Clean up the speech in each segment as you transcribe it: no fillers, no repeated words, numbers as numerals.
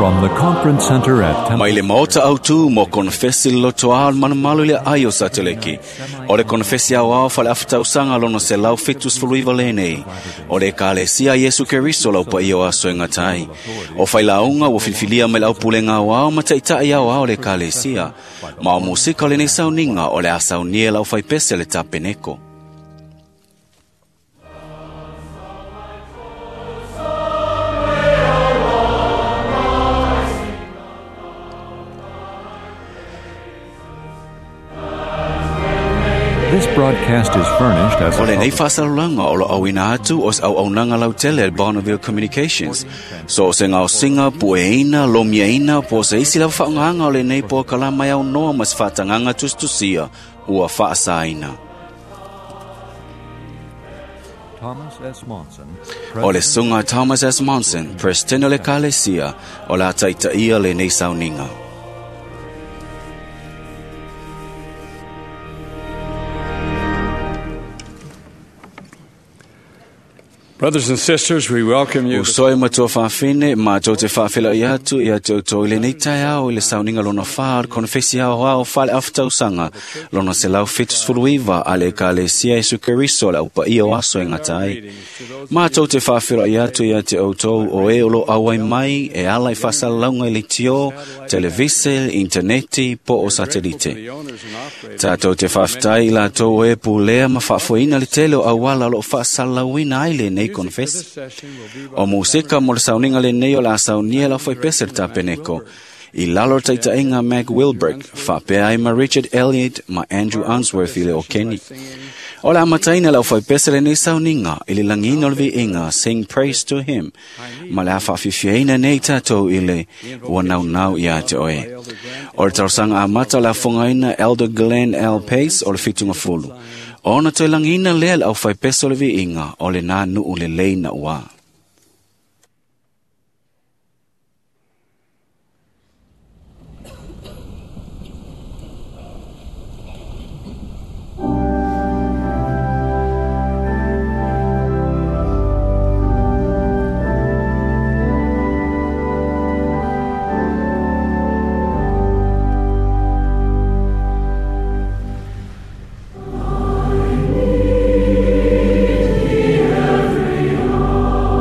From the Conference Center at Temple Mai le maota autu mo konfesi le lotoa o le malumalu i le ai o Sateleki. O le konfesi au ao fale afatausanga lono se lau 79 lenei. O le ekalesia Iesu Keriso lau paia o aso e gatai. O failauga ua filifilia mai le aupulega aoao ma taʻitaʻi aoao o le ekalesia. Ma o musika o lenei sauniga o le a saunia e lau faipese le tapeneko. This broadcast is furnished as O a lenei public faasalalauga o lo auina atu o se auaunaga lautele a le Bonneville Communications. So o se gaosiga pueina, lomiaina, po o se isi lava faaaogāga o lenei polokalama e aunoa ma se faatagaga tusitusia ua faasaina. Thomas S. Monson, O le suga Thomas S. Monson, President o le Ekalesia, o le a taitaia lenei sauniga. Brothers and sisters, we welcome you. Uso e matua faafine, matou te faafeiloai atu ia te outou i lenei taeao i le sauniga lona 4 o le konefesi aoao faale-afotausaga lona 179 a le Ekalesia Iesu Keriso o le aupaia o aso e gata ai. Matou te faafeiloai atu ia te outou o e o lo auai mai e ala i faasalalauga i leitio, televise, interneti po o satelite. Tatou te faafetai i latou o e pulea ma faafoeina le tele o auala o loo faasalalauina ai lenei konefesi. O musika mo le sauniga lenei o le a saunia e lau faipese le tapeneko. I lalo o le taitaiga Mac Wilbrick, faapea ai ma Richard Elliott ma Andrew Unsworth i le Okeni. O le amataina lau faipese lenei sauniga i le lagiina o le viiga Sing Praise to Him, ma le a faafiafiaina nei tatou i le ua naunau ia te oe. O le talosaga amata o le afogaina Elder Glenn L. Pace o le 70. Ona toe lagiina lea le aufaipese o le viiga o lena nuu lelei na ua. I need thee every hour.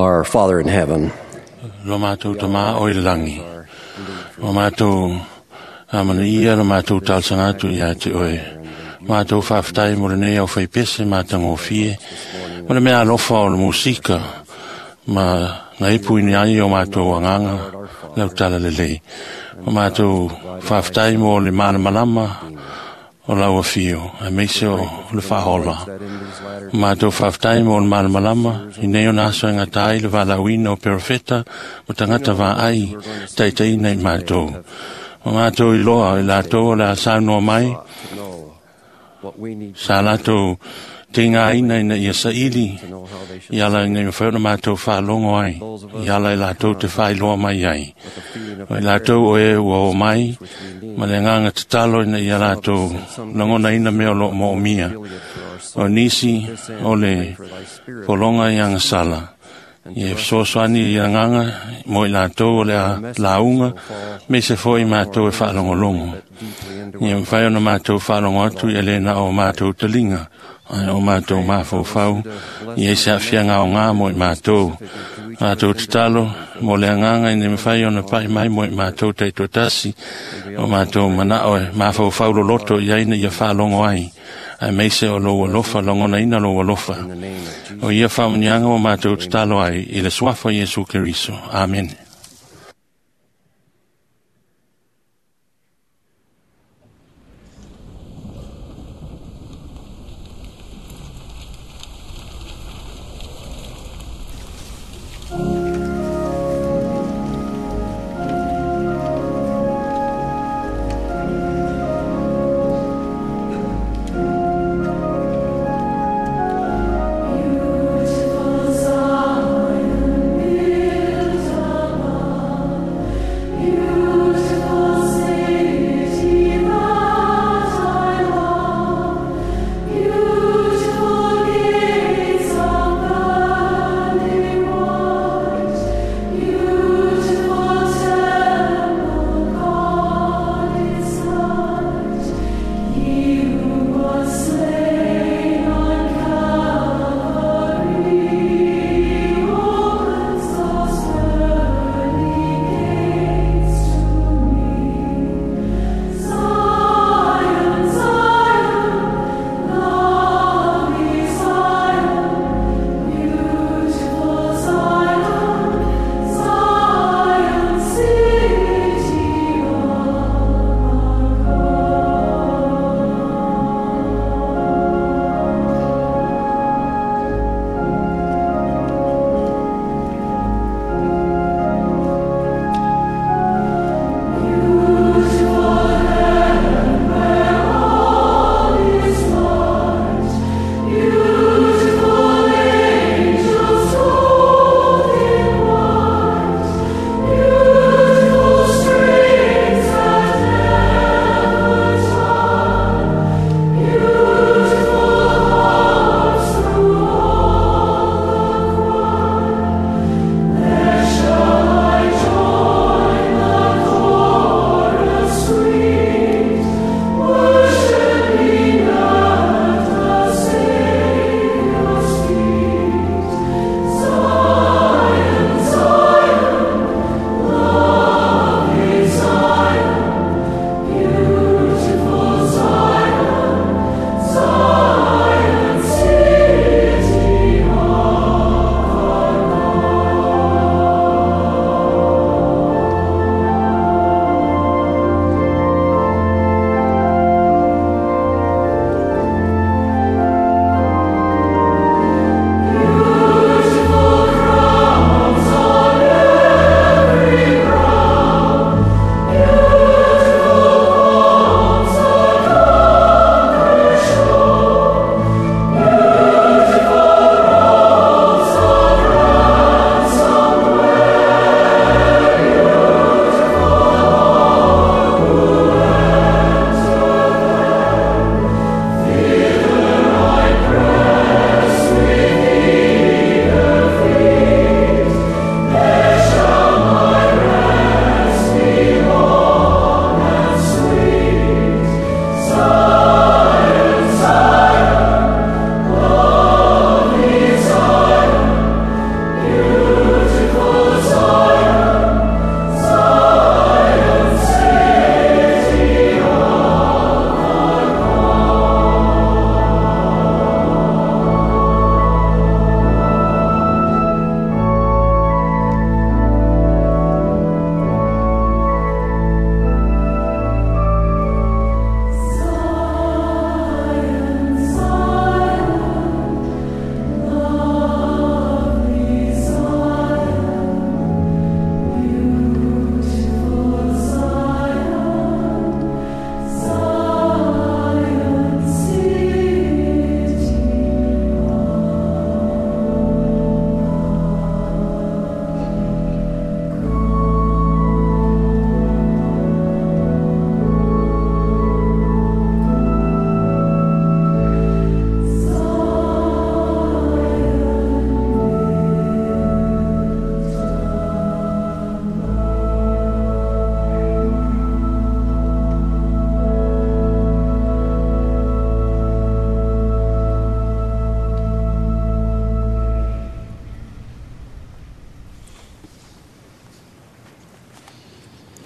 Our Father in heaven, Lo mātou tamā o i langi. O mātou amana ia lo mātou talsanga atu ia te oe. Mātou whawhtai mo le nei au whaipese mā tangofie. Mo le mea alofa o le musika ma ngā ipu ini ai o mātou anganga lau tala lelei. O mātou whawhtai mo le mana malama o lau afio, a meise o le whahola. O mātou whawhtai mo le mana malama, i nei o naso e ngā tai le wālauina o perofeta, o tangata wā ai, taitai nei mātou. O mātou i loa, i lātou o le asau mai, sa lātou te ngā ina ina ia saili, i ala i nei mawhai o mātou whaalongo ai, i ala i lātou te whailoa mai ai. O i lātou o e ua o mai, ma le nganga tatalo ina ia lātou langona ina mea o lo mo o mia. O nisi o le polonga i angasala. Ia sosoani i nganga mo i lātou o le a launga, me se foi mātou e whaalongolongo. Ia mwhai ona mātou whaalongo atu i ele na o mātou talinga, ai o mātou mawhauwhau, i e se awhia o ngā mo i mātou. Mātou tatalo, mo le anganga i ne mwhai ona pai mai mo i mātou teitotasi, o mātou manao e mawhauwhau loloto i aina ia whaalongo ai. Ai meise o lo alofa, longona ina lo alofa. O ia whamunianga o mātou tatalo ai, i le suafa Iesu Keriso. Amen. Beautiful Zion, built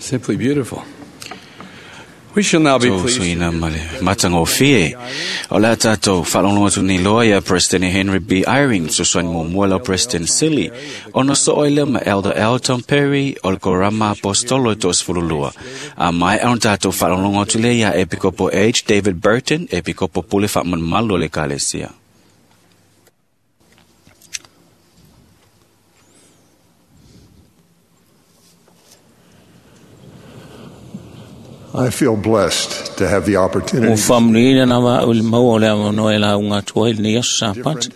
Simply beautiful. We shall now be pleased. Suina male matangofie. O le tātou whalongo atu ni loa ia President Henry B. Eyring, susuani muamua lau President Sili, ona so oile ma Elder L. Tom Perry, o le korama apostolo e 32. A mai aon tātou whalongo atu le ia Epikopo H. David Burton, Epikopo Pule Whamanmalu le Kalesia. I feel blessed to have the opportunity. Ua faamanuiaina lava au i le maua o le avanoa e lauga atu ai lenei aso Sapata.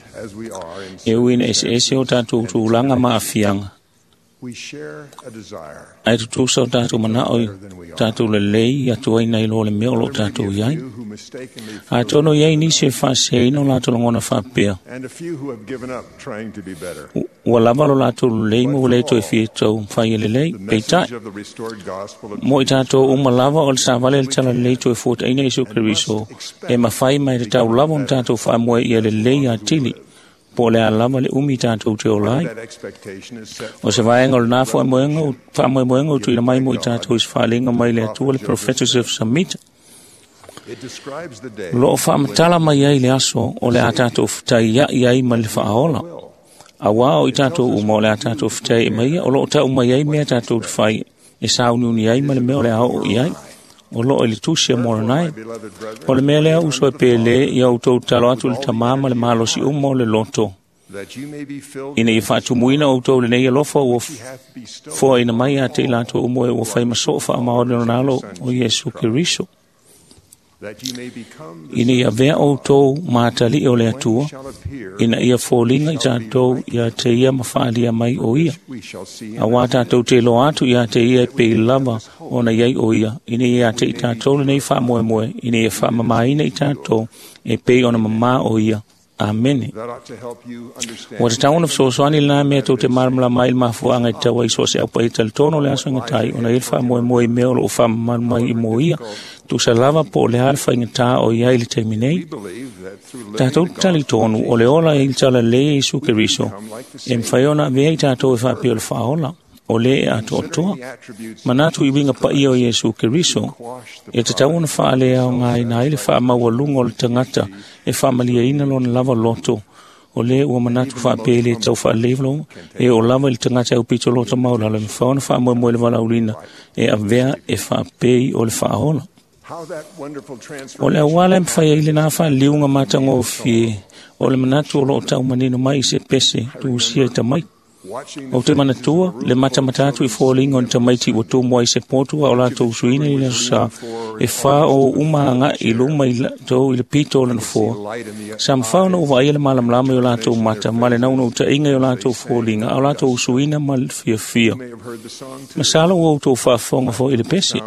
E ui ina eseese o tatou tulaga ma aafiaga. Ae tutusa o tatou manao i tatou lelei atu ai nai lo le mea o loo tatou iai. Atonu i ai nisi e faaseseina o latou lagona faapea. Ua lava lo latou lelei ma ua le toe fia taumafai e lelei. Peitai, mo i tatou uma lava o le savali le tala lelei toe fuataina Iesu Keriso e mafai mai le tau lava ona tatou faamoe ia lelei atili. Po o le a lava le umi tatou te ola ai. O se vaega o lena faamoemoega ua tuuina mai mo i tatou i se faaliga mai le Atua le Profeta Joseph Smith. O loo faamatala mai ai le aso o le a tatou fetaiai ai ma le faaola. Auā o i tatou uma o le a tatou fetaiai mai ia, o loo tau mai ai mea tatou te fai e sauniuni ai ma le mea o le a oo i ai. O loo i le tusi a Moronai. O le mea lea uso e pele ia outou tatalo atu i le Tamā ma le malosi uma o le loto. Ina ia faatumuina outou lenei alofa ua foaina mai ia te i latou uma e ua fai ma soo faamaoni o lona alo o Iesu Keriso. Ina ia avea outou ma atalii o le Atua, ina ia foliga i tatou ia te ia ma faalia mai o ia. Auā tatou te iloa atu ia te ia e pei lava ona iai o ia, ina ia te i tatou lenei faamoemoe, ina ia faamamaina i tatou e pei ona mamā o ia. Amene. Ua tatau ona fesoasoani lena mea tou te malamalama ai le mafuaaga e tatau ai so o se aupaia talitonu o le aso e gatai ona i ai le faamoemoe i mea o loo faamamalu mai i mo ia, tusa lava po o le a le faigata o i ai le taimi nei. Tatou te talitonu o le ola i le talalelei e Iesu Keriso e mafai ona avea i tatou e faapea o le faaola o le e atoatoa. Manatu i uiga paia o Iesu Keriso, e tatau ona faaleaogaina ai le faamaualuga o le tagata e faamaliaina lona lava loto. O le ua manatu faapea e le tau faalelei e oo lava i le tagata e aupito loto maulalo e mafai ona faamoemoe le valaauina e avea e faapei o le faaola. O le auala e mafai ai lena faaliliuga matagofie o le manatu o loo tau manino mai i se pese tuusia i tamaiti. Ou te manatua le matamata atu i foliga o ni tamaiti ua tumu ai se potu a o latou suina i le aso sa e fā o uma agai i luma i latou i le pito o lana foa. Sa mafai ona ou vaaia le malamalama i o latou mata ma le naunautaiga i o latou foliga a o latou usuina ma le fiafia. Masalo ua outou faafofoga foi i le pese.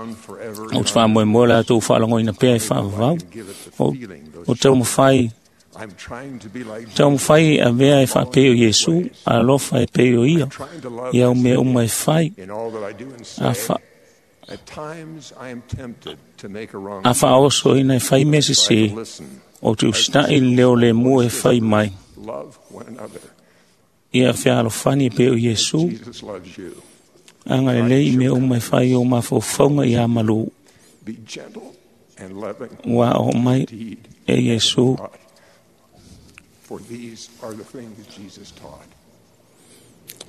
Ou te faamoemoe o latou faalogoina pea e faavavau. O taumafai taumafai e avea e faapei o Iesu, alofa e pei o ia, ia au mea uma e fai. A faaosoina e fai mea sesē, ou te usitai i le leo lemu e fai mai. Ia fealofani e pei o Iesu, agalelei i mea uma e fai o mafaufauga ia malū. Ua oo mai e Iesu. For these are the things Jesus taught.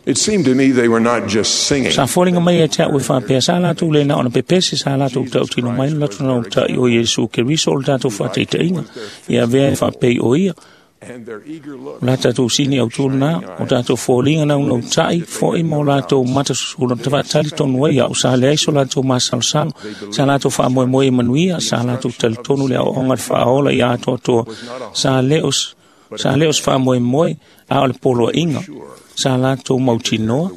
It seemed to me they were not just singing. Sa foliga mai e te au e faapea sa latou le na ona pepese sa latou tautino mai le latou nautai o Iesu Keriso o le tatou faataitaiga ia avea e faapei o ia. O la tatou sini autū lena, o tatou foliga naunautai foi ma o latou mata susula te faatali tonu ai au sa leai so latou masalosalo, sa latou faamoemoe i manuia, sa latou talitonu le aoaoga le faaola ia atoatoa, sa le o se faamoemoe a o le poloaiga, sa latou mautinoa,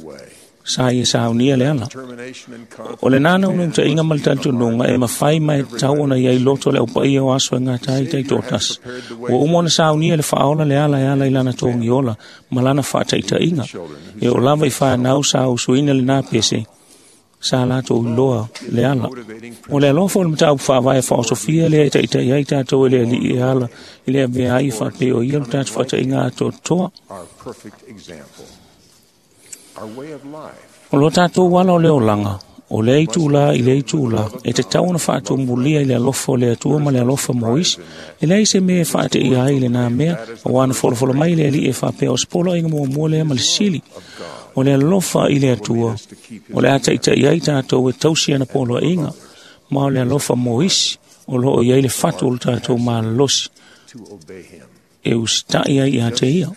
sa ia saunia le ala. O le nana unautaiga ma le talitonuga e mafai ma e tatau ona iai loto le aupaia o aso e gata ai taitoatasi. Ua uma ona saunia le faaola le ala e ala i lana togiola ma lana faataitaiga. E oo lava i fanau sa usuina lena pese, sa latou iloa le ala. O le alofa o le mataupu faavae faaosofia lea e taitai ai tatou e le alii e ala i le avea ai e faapei o ia lo tatou faataiga atoatoa. O lo tatou ala o le olaga O lea itulā i lea itulā, e tatau ona faatumulia i le alofa o le Atua ma le alofa mo isi. E leai se mea e faateia ai i lenā mea, auā na folafolo mai le Alii e faapea o se poloaiga muamua lea ma le sili. O le alofa i le Atua, o le a taʻitaʻi ai tatou e tausi ana poloaiga, ma o le alofa mo isi, o loo i ai le fatu o le tatou malolosi e usitaʻi ai ia te ia.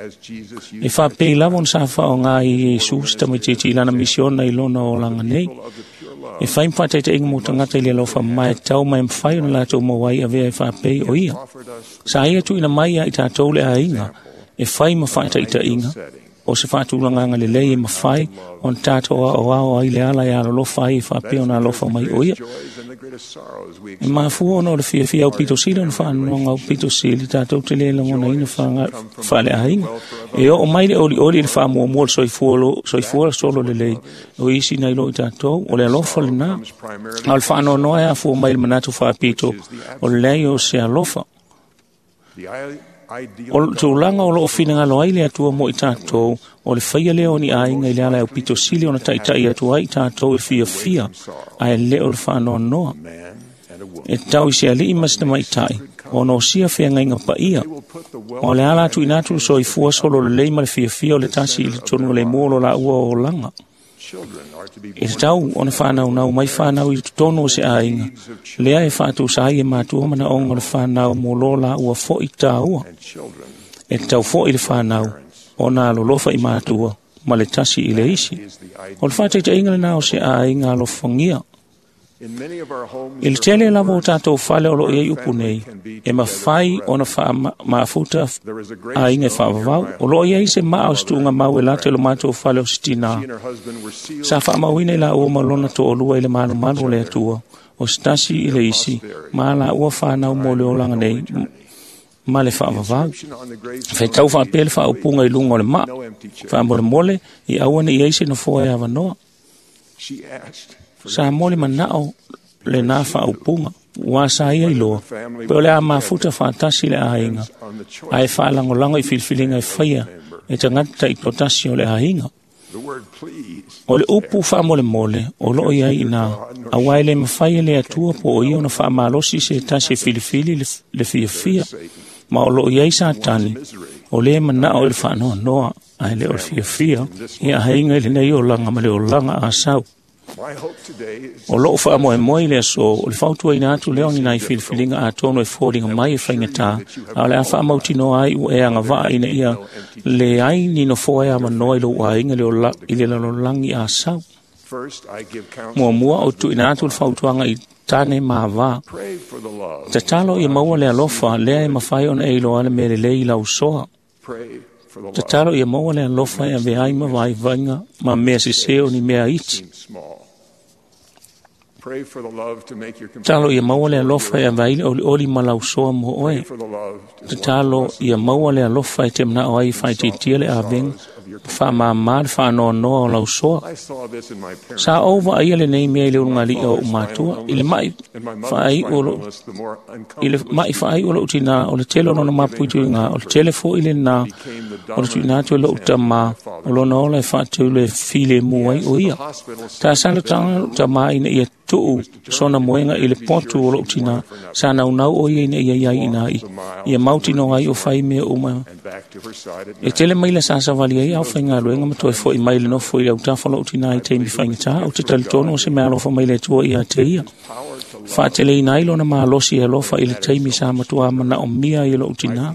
E faapei lava ona sa faaaogā i Iesu se tamaitiiti i lana misiona i lona olaga nei. E fai ma faataitaiga mo tagata i le alofa ma e tau mai mafai ona latou maua ai avea e faapei o ia. Sa ia tuuina mai ia i tatou le aiga e fai ma faataitaiga o se faatulagaga lelei e mafai ona tatou aoao ai le ala e alolofa ai e faapea ona alofa mai o ia. E mafua ona o le fiafia aupito sili ona faanoanoaga aupito sili tatou te le lagonaina faaleaiga. E oo mai le olioli i le faamuamua o le soifua solo lelei o isi nai lo i tatou, o le alofa lenā. A o le faanoanoa e afua mai i le manatu faapito o le leai o se alofa. O le tulaga o loo finagalo ai le Atua mo i tatou, o le faia lea o ni aiga i le ala e aupito sili ona taʻitaʻi atu ai i tatou e fiafia, ae le o le faanoanoa. E tau i se alii ma se tamaitaʻi, ona o sia feagaiga paia. Ma o le ala atuina atu le soifua solo lelei ma le fiafia o le tasi i le totonu o le mua o lo laua olaga. E tatau ona fānaunau mai fanau i totonu o se aiga, lea e faatusa ai e matua manaoga o le fanau mo lo laua foʻi tāua. E tatau foʻi le fanau ona alolofa i matua ma le tasi i le isi. O le faataitaiga lenā o se aiga alofagia. I le tele lava o tatou fale o loo i ai upu nei, e mafai ona faamafuta aiga e faavavau. O loo i ai se maa o se tuugamau e lata i lo matou fale o se tinā. Sa faamauina i laua ma lona toalua i le malumalu o le Atua, o se tasi i le isi, ma laua fanau mo le olaga nei ma le faavavau. Faitau faapea le faaupuga i luga o le maa, faamolemole i aua ne i ai se nofoa e avanoa. Sa mo le manao lenā faaupuga, ua sa ia iloa, pe o le a mafuta faatasi le aiga, ae faalagolago i filifiliga e faia e tagata taʻitoatasi o le aiga. O le upu faamolemole o loo i ai inā, auā e le mafai e le Atua po o ia ona faamalosi se tasi e filifili le fiafia, ma o loo i ai Satani, o lē manao i le faanoanoa, ae le o le fiafia, ia aiga i lenei olaga ma le olaga asau. O loo faamoemoe i le aso, o le fautuaina atu lea o ni nai filifiliga atonu e foliga mai e faigata, a o le a faamautinoa ai ua e agavaa ina ia leai ni nofoa e avanoa i lou aiga i le lalolagi asau. Muamua o tuuina atu le fautuaga i tane ma avā. Tatalo ia maua le alofa lea e mafai ona e iloa le mea lelei i lau soa. Tatalo ia maua le alofa e avea ai ma vaivaiga ma mea sesē o ni mea iti. Tatalo ia maua le alofa e avea ai le olioli ma lau soa mo oe. Tatalo ia maua le alofa e te manao ai e faaitiitia le avega ma faamāmā le faanoanoa o lau soa. Sa ou vaaia lenei mea i le ulugalii o ou matua, i le maʻi faaiu o lou tinā, o le tele o lona mapuituigā, o le tele foʻi lenā o le tuuina atu e lou tamā, o lona ola e faatau le filemu ai o ia. Tasalotaga lou tamā ina ia tuu sona moega i le potu o lou tinā, sa naunau o ia ina ia iai inā ia mautinoa ai o fai mea uma. E tele mai le sasavali ai au faigaluega ma toe foʻi mai le nofo i le autafa o lou tinā i taimi faigata, ou te talitonu o se mea alofa mai le Atua ia te ia. Faateleina ai lona malosi e alofa i le taimi sa matuā manaomia ai e lou tinā.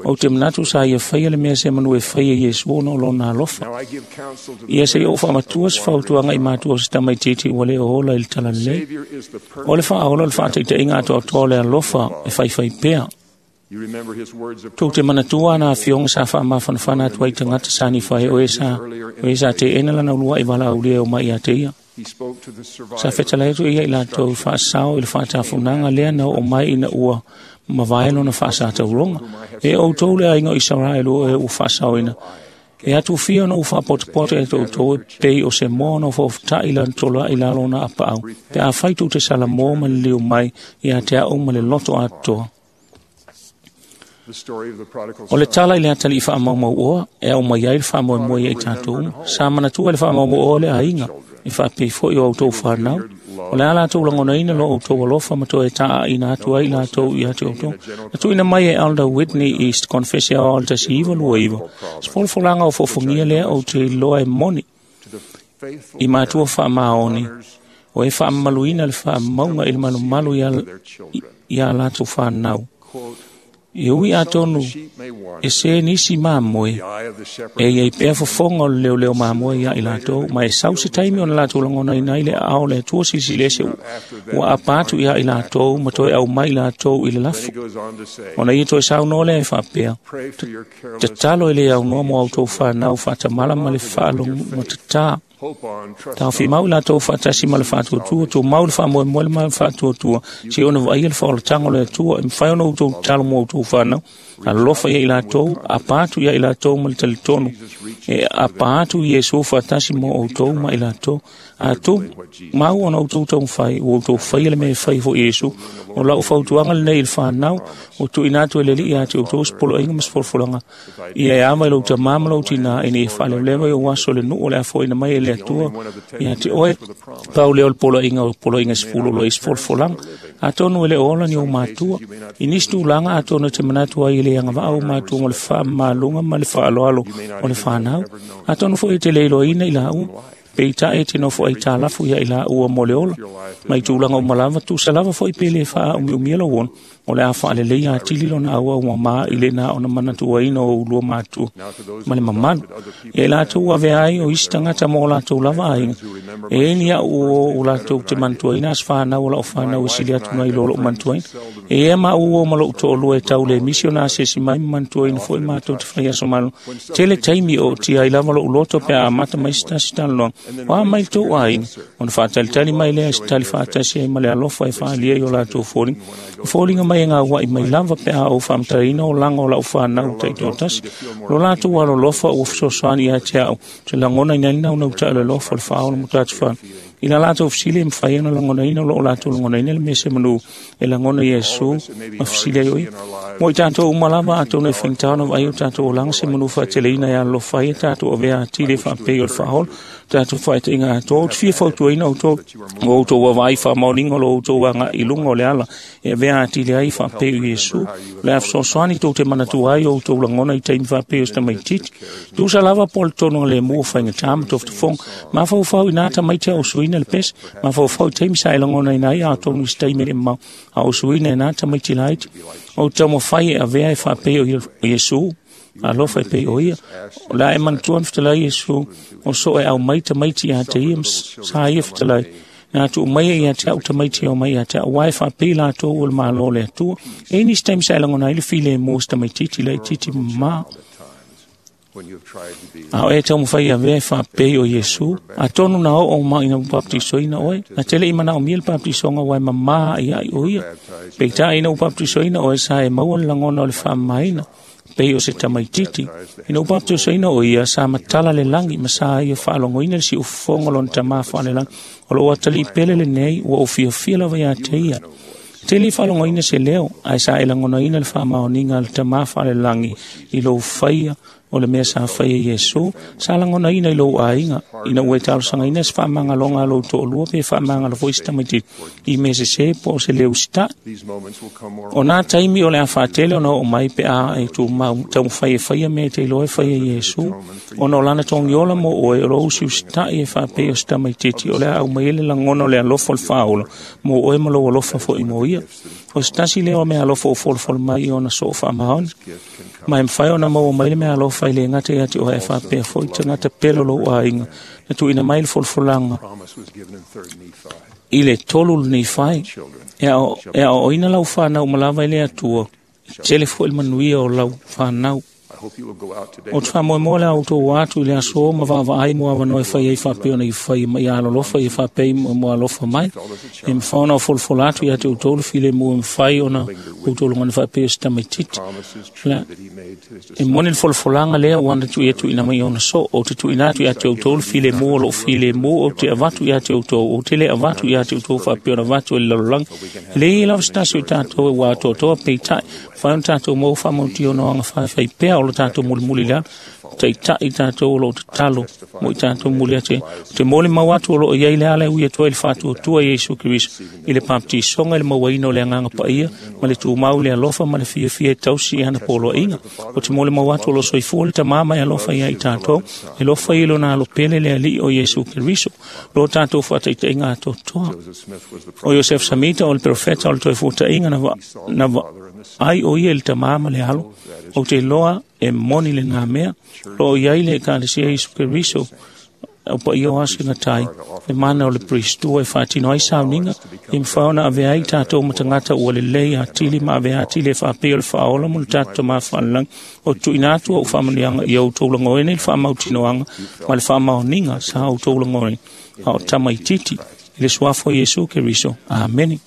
Ou te manatu sa ia faia le mea semanu e faia Iesu ona o lona alofa. Ia se i ou faamatua se fautuaga i matua o se tamaitiiti ua le ola i le talalelei. O le faaola o le faataitaiga atoatoa o le alofa e faifai pea. Tou te manatua ana afioga sa faamafanafana atu ai tagata sa nifae o e sa teena lana uluaʻi valaaulia e omai ia te ia. Sa fetalai atu ia i latou faasao i le faatafunaga lea na oo mai ina ua mavae lona faasatauroga. E outou le aiga o Isaraelu o e ua faasaoina. E atufia ona ou faapotopoto e toutou e pei o se moa ona fofotaʻi lana toloaʻi lalo ona apaau, pe afai tou te salamō ma le liu mai ia te aʻu ma le loto atoa. O le tala i le atalii faamaumauoa e au mai ai le faamoemoe ia i tatou uma. Sa manatua le faamaumauoa o le aiga. E faapei foi o outou whanau. O le ala tou lagonaina lo outou alofa ma toe taa'aina atu ai latou ia te outou. Na tuuina mai e Elder Whitney East, Konefesi Aoao 1929. Se folafolaga o foofogia lea ou te iloa e moni i matua faamaoni, o e faamamaluina le faamauga i le malumalu ia latou whanau. E ui atonu e se nisi mamoe, e iai pea fofoga o le leoleo mamoe ia i latou, ma e sau se taimi ona latou lagonaina ai le aao le Atua silisili ese ua apa atu ia i latou ma toe au mai latou i le lafo. Ona ia toe saunoa lea e faapea, tatalo e le aunoa mo outou whanau faatamala ma le faalogotatā. Taofimau i latou faatasi ma le faatuatua, tumau le faamoemoe ma le faatuatua, se ona vaaia le faaolataga o le Atua, e mafai ona outou tatalo mo outou whanau, alofa ia i latou, apa atu ia i latou ma le talitonu, e apa atu Iesu faatasi mo outou ma i latou. A tumau ona outou taumafai, ua outou faia le mea e fai foi Iesu, o lau fautuaga lenei i le whanau, o tuuina atu e le Alii ia te outou se poloaiga ma se folafolaga, ia e ava i lou tamā ma lou tinā, ina ia faaleoleva i ou aso le nuu o le afoaina mai e le Atua ia te oe. Pau lea o le poloaiga o poloaiga 10 o lo o i se folafolaga. Atonu e le o ola ni ou matua. I nisi tulaga atonu e te manatu ai i le agavaa o matua mo le faamamaluga ma le faaaloalo o le whanau. Atonu foi e te le iloaina i laua. Peitai e te nofo ai tālafu ia i laua mo le ola. Mai tulaga uma lava, tusa lava foi pe le faaaumiumia lau ona. O le a faalelei atili lona auau mamā i lena ona manatuaina o ulua matua ma le mamalu. Ia i latou avea ai o isi tagata mo latou lava aiga. E ei ni au o latou te manatuaina as whanau o lau whanau e sili atu nai lo lou manatuaina. E ea ma ua ma lou to'olua e tau le misi o na asesi mai ma manatuaina foi matou te fai aso malo. Tele taimi o tia ai lava lou loto pe a amata mai se tasi talanoaga. O a mai le tou aiga, ona faatalitali mai lea se tali faatasi ai ma le alofa e faaalia i o latou foliga. O foliga mai e ngaua'i mai lava pe a ou faamatalaina o laga o lau whanau taitoatasi. Lo latou alolofa ua fesoasoani ia te au, te lagonaina ai le naunautai o le alofa o le faaola mo tatou whanau. I la latou fesili e mafai ona lagonaina o loo latou lagonaina le mea se manu e lagona Iesu ma fesili ai o ia. Mo i tatou uma lava atonu e faigata ona vaai o tatou olaga se manu faateleina e alolofa ai e tatou avea atili e faapei o le faaola. Tatou faataitaiga atoa, ou te fia fautuaina outou o outou vaavaai faamaoniga o lo outou aga'i i luga o le ala e avea atili ai faapei o Iesu. O le a fesoasoani tou te manatua ai o outou lagona i taimi faapei o se tamaitiiti. Tusa lava po o le tonu a le mua faigata ma tofotofoga. Mafaufau i nā tamaiti a o suina le pese. Mafaufau i taimi sa e lagonaina ai atonu i se taimi e le mamao a o suina e nā tamaiti laiti. O taumafai e avea e faapei o Iesu. Alofa e pei o ia. O la e manatua na fetalai Iesu, o so e au mai tamaiti ia te ia sa ia fetalai. Nā tuu mai ia te au tamaiti o mai ia te au wae faapei latou o le malo le Atua. E nisi taimi sa e lagona ai le file e mo se tamaititi laititi mamā. A o e taumafai avea e faapei o Iesu, atonu na oo mai na baptisoina oe, na tele i manaomia le baptisoga ua e mamā ia i o ia. Peitai ina baptisoina oe sa e maua le lagona o le faamamaina. Pei o se tamaititi, ina baptisoina o ia sa matala le lagi ma sa ia faalogoina le siufofoga o lona tamā faalelagi. O loo atalii pele lenei ua ou fiafia lava ia te ia. Tele i faalogoina se leo, ae sa e lagonaina le faamaoniga a le tamā faalelagi i lou faia o le mea sa faia Iesu, sa lagonaina i lou aiga, ina ua e talosagaina se faamagaloga a lou to'olua pe faamagalo foi se tamaititi i mea sesē po o se leo sita'i. O nā taimi o le a faatele ona oo mai pe a e tumau taumafai e faia mea e te iloa e faia Iesu, ona o lana togiola mo oe o lou usiusita'i e faapei o se tamaititi o le a aumai ai le lagona o le alofa o le faaola mo oe ma lou alofa foi mo ia. O se tasi lea o mea alofa o folafolo mai i ona soo faamaoni. Ma e mafai ona maua mai le mea alofa i le gata ia te oe e faapea foi tagata pele o lou aiga na tuuina mai le folafolaga i le tolu lenei fai. E aoaoina lau whanau ma lava i le Atua, tele foi le manuia o lau whanau. O te whaamoemoe le outou atu i le aso ma vaavaai mo avanoa e fai ai faapei ona i fai mai ia alolofa ia faapei mo alofa mai. E mafai ona o folafola atu ia te outou le filemu e mafai ona outou lagona faapei o se tamaititi. E moni le folafolaga lea ua na tuuina tuuina mai ona so o te tuuina atu ia te outou le filemu o loo filemu o te avatu ia te outou o te le avatu ia te outou faapei ona avatu e le lalolagi. E leai lava se tasi o i tatou e ua atoatoa peitai. Mafai ona tatou maua faamautia ona aga faifai pea o o lo tatou mulimuli i le ala. Taitai tatou o loo tatalo mo i tatou muli atu. Te molimau atu o loo i ai le ala e ui atu ai le faatuatua i Iesu Keriso i le papatisoga i le mauaina o le agaga paia ma le tumau i le alofa ma le fiafia e tausi i ana poloaiga. O te molimau atu o loo soifua le Tamā ma e alofa ia i tatou, e alofa i lona alo pele le Alii o Iesu Keriso, lo tatou faataitaiga atoatoa. O Iosef Samita o le profeta o le toefuataiga na vaai o ia i le Tamā ma le Alo, ou te iloa e moni lenā mea, lo o iai le Ekalesia Iesu Keriso, au paia o aso gatai, le mana o le Pristua e faatino ai sauniga, e mafai ona avea ai tatou ma tagata ua lelei atili ma avea atili e faapea o le faaola mo le tatou Tamā Faalelagi, o tuuina atu ou faamanuiaga ia outou lagoena i le faamautinoaga ma le faamaoniga sa outou lagoena, a o tamaititi i le suafa o Iesu Keriso. Amene.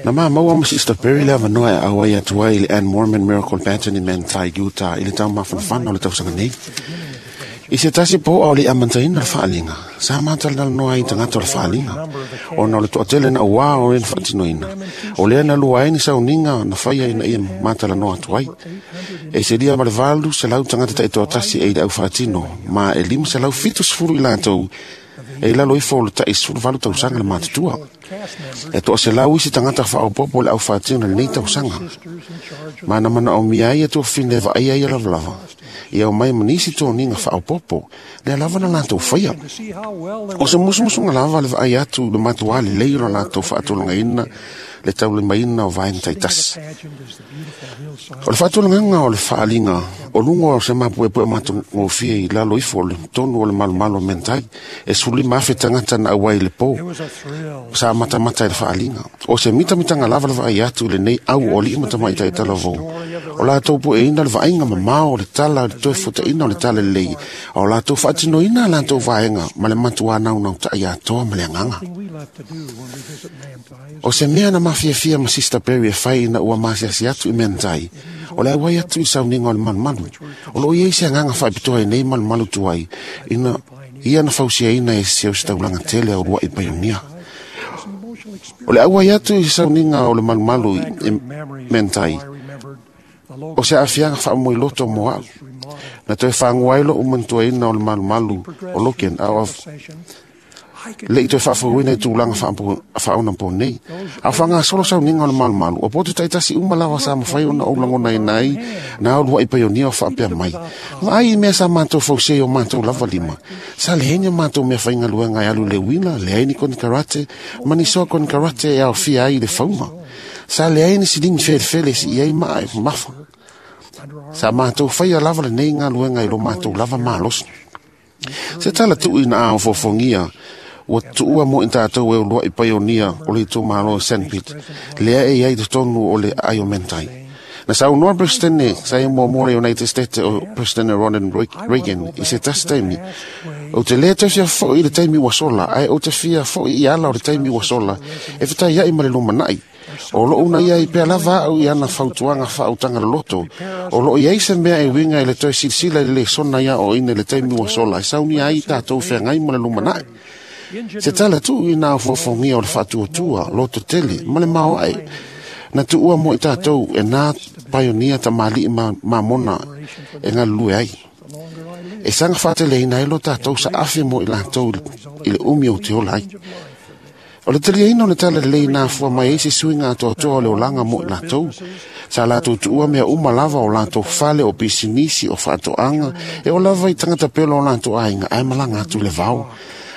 Na maua ma Sister Perry le avanoa e auai atu ai i le Ann Mormon Miracle Pageant i Manti, Utah, i le taumafanafana o le tausaga nei. I se tasi po o le amantaina le faaaliga, sa matalalanoa ai tagata o le faaaliga, ona o le toatele na uā o le na faatinoina. O lea na lua ai ni sauniga na faia ina ia matalanoa atu ai. E selia ma le 800 tagata taitoatasi e i le au faatino, ma e 570 i latou e i lalo ifo o le tai 18 tausaga le matutua. E 100 isi tagata faaopoopo le au faatino i lenei tausaga. Ma na manaomia ai e tuafafine e vaaia ia lavalava, ia omai ma nisi toniga faaopoopo, lea lava na latou faia. O se musumusuga lava le vaai atu le matuā lelei o le latou faatulagaina le taulimaina o vaega taitasi. O le faatulagaga o le faaaliga o luga o se mapuepue matagofie i lalo ifo o le tonu o le malomalo o Mentai, e 15,000 tagata na auai i le po sa matamata i le faaaliga. O se mitamitaga lava le vaai atu i lenei au o alii ma tamaitai talavou, o latou pueina le vaaiga mamao o le tala o le toe futaina o le tala lelei, a o latou faatinoina a latou vaega ma le matuā naunautai atoa ma le agaga. O se mea na mafiafia ma Sister Perry e fai ina ua masiasi atu i Mentai, o le auai atu i sauniga o le malumalu. O loo i ai se agaga faapitoa i nei malumalu tuai, ina ia na fausiaina e se ositaulaga tele au lua'i paionia. O le auai atu i sauniga o le malumalu i Mentai, o se aafiaga faamoeloto mo a'u. Na toe fagua ai lo'u manatuaina o le malumalu o Loken, a o le'i toe faafouina i tulaga faaonapo nei. A o faagasolo sauniga o le malumalu, o poto taitasi uma lava sa mafai ona ou lagonaina ai na au lua'i paionia o faapea mai. Vaai i mea sa matou fausia i o matou lava lima. Sa leai ni matou mea faigaluega e alu i le uila, leai ni konikarate, ma ni soa konikarate e aofia ai i le fauga. Sa leai ni siligi felefele e sii ai maa e mafa. Sa matou faia lava lenei galuega i lo matou lava malosi. Se tala tu'i na aofofogia, ua tuua mo i tatou e ulua'i paionia o le itumalo o Sanpete, lea e i ai totonu o le aai o Mentai. Na saunoa Presidente sa ia muamua o le United States o Presidente Ronald Reagan i se tasi taimi, ou te le toe fia fo'i i le taimi ua sola, ae ou te fia fo'i i ala o le taimi ua sola, e fetaia'i ma le lumanai. O loo una ia i pea lava a'u i ana fautuaga faautaga loloto, o loo i ai se mea e uiga i le toe silasila i le lesona ia oina i le taimi ua sola, e saunia ai tatou feagai ma le lumanai. Se tala tuu i nā ofofogia o le faatuatua, loto tele, ma le maoae, na tuua mo i tatou e nā paionia tamalii mamona e galulue ai. E saga faateleina ai lo tatou saafi mo i latou i le umi o te ola ai. O le taliaina o le tala lelei na afua mai ai se suiga atoatoa o le olaga mo i latou. Sa latou tuua mea uma lava o latou fale o pisinisi o faatoaga, e o lava i tagata pelo o latou aiga, ae malaga atu i le vao.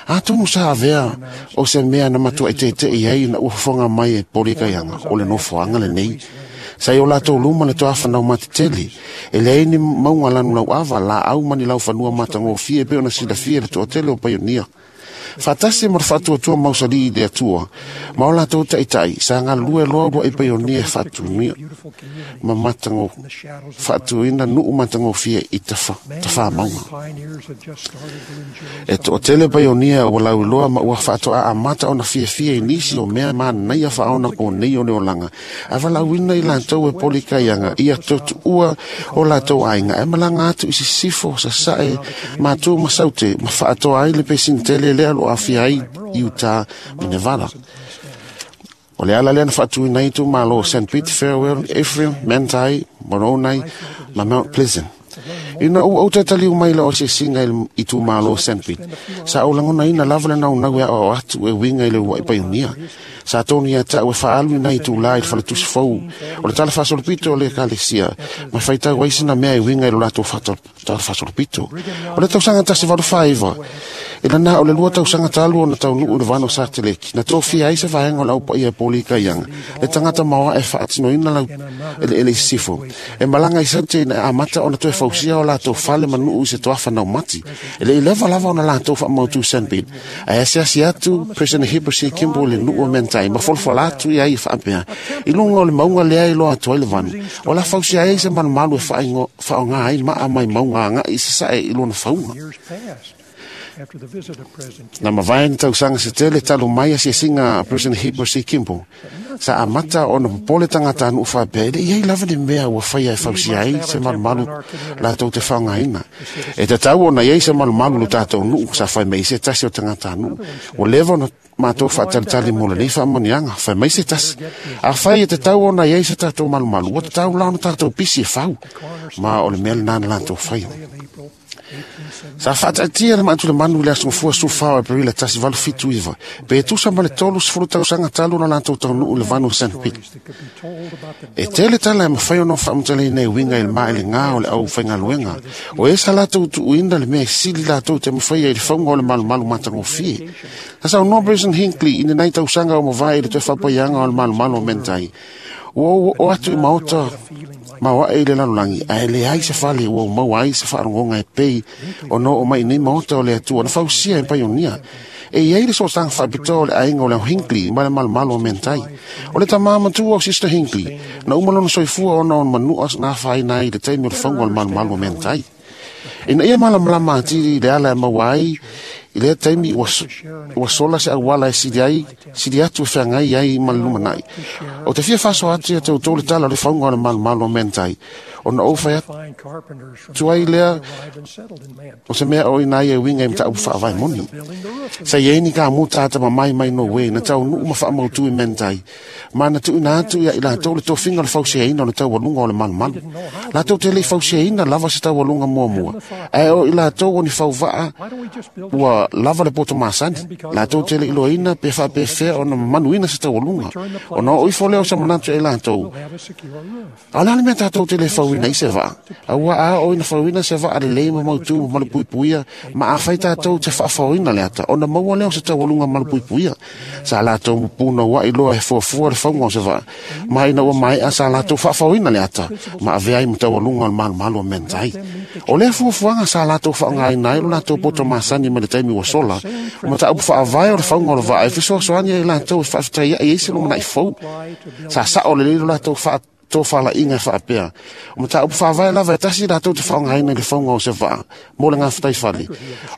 Atonu sa avea o se mea na matuai tete'i ai na ua fofoga mai e polikaiaga o le nofoaga lenei. Sa i o latou luma le toafanau matetele, e leai ni mauga lanu lauava, laau ma ni laufanua matagofie e pei ona silafia e le toatele o paionia. Faatasi ma le faatuatua mausali i le Atua ma o latou taʻitaʻi sa galulue loa uluaʻi paionia e faatunia ma matago faatuina nuu matagofie i tafamauga. E toʻatele paionia ua lauiloa ma ua faatoa amata ona fiafia i nisi o mea manaia faaona konei o le olaga ae valaauina i latou e polikaiaga ia totuua o latou aiga ae malaga atu i sisifo sasae matou ma saute ma faatoa ai le pesini tele lea lo aafia ai i Utah ma Nevada. O le ala lea na faatuina ai itumalo St. Pete, Farewell, Ephraim, Manti, Moroni ma Mount Pleasant. Ina ua ou tataliu mai la o asiasiga i itumalo o St. Pete, sa ou lagonaina lava le naunau e aoao atu e uiga i le uluaʻi paionia. Sa tonu ia taʻu e faaalu i nai itulā i le faletusi fou o le tala faasolopito o le ekalesia ma faitau ai sina mea e uiga i lo latou tala faasolopito. O le tausaga 1849, i lana o le 2 tausaga talu ona taunuu i le vana o Sateleki, na tofia ai se vaega o le aupaia e polikaiaga, le tagata maoae faatinoina lau eleele i sisifo. E malaga i Saute ina amata ona toe fausia o latou fale ma nuu i se toafa naumati. E le i leva lava ona latou faamautu St. Pete. Ae asiasi atu President Heber C. Kimball i le nuu o Manti ma folafola atu ia i faapea. I luga o le mauga lea i loa atu ai le vanu. O la fausia ai se malumalu e faaaoga ai maa mai mauga agaʻi i sasae i lona fauga. Na mavae ni tausaga se tele talu mai asiasiga a President Heber C. Kimball. Sa amata ona popole tagata nuu faapea e le i ai lava le mea ua faia e fausia ai se malumalu latou te faaaogaina. E tatau ona i ai se malumalu lo tatou nuu sa fai mai se tasi o tagata nuu. Ua leva ona matou faatalitali mo lenei faamanuiaga, fai mai se tasi. Afai e tatau ona i ai se tatou malumalu, ua tatau la ona tatou pisi e fau. Ma o le mea lena na latou faia. Sa faataatia le maatulemanu i le aso gafua 14 o Aperila 1879, pe tusa ma le 30 tausaga talu ona latou taunuu i le vanu o St. Pete. E tele tala e mafai ona faamatalaina e uiga i le maelegā o le aufaigaluega, o e sa latou tuuina le mea e sili latou te mafaia i le fauga o le malumalu matagofie. Sa saunoa President Hinckley i lenei tausaga o mavae i le toe faapaiaga o le malumalu o Manti. Ua ou oo atu i maota maoaʻe i le lalolagi, ae leai se fale ua ou maua ai se faalogoga e pei ona oo mai nei maota o le Atua na fausia e paionia. E i ai le sootaga faapitoa o le aiga o le Hinckley ma le malumalu o Manti. O le tamā matua o Sister Hinckley, na uma lona soifua ona o manua na afaina ai i le taimi o le fauga o le malumalu o Manti. Ina ia malamalama atili i le ala e maua ai i lea taimi ua sola se auala e sili atu e feagai ai ma le lumanai. O te fia faasoa atu ia te outou le tala o le fauga o le malumalu o Manti, ona ou fai atu ai lea o se mea o ina ia e uiga i mataupu faavae moni. Sa i ai ni kamuta atamamai mai Norway na taunuu ma faamautu i Manti, ma na tuuina atu ia i latou le tofiga o le fausiaina o le taualuga o le malumalu. Latou te le i fausiaina lava se taualuga muamua, ae o i latou o ni fauvaa ua lava le poto masani. Latou te le iloaina pe faapefea ona mamanuina se taualuga, ona oo ifo lea o se manatu e latou. A o le a le mea tatou te le fauina ai se vaa? Aua a oo ina fauina se vaa lelei ma mautu ma malupuipuia, ma afai tatou te faafaoina le ata, ona maua lea o se taualuga malupuipuia. Sa latou punouaʻi loa e fuafua le fauga o se vaa, ma ina ua maea sa latou faafaoina le ata, ma avea ai ma taualuga o le malumalu o Manti. O lea fuafuaga sa latou faaaogaina ai lo latou poto masani ma le taimi ua sola, o mataupu faavae o le fauga o le vaa e fesoasoani ai latou e faafetaiaʻi ai se lumanai fou. Sa sao lelei lo latou faatofalaiga e faapea. O mataupu faavae lava e tasi latou te faaaogaina i le fauga o se vaa mo le gafataifale.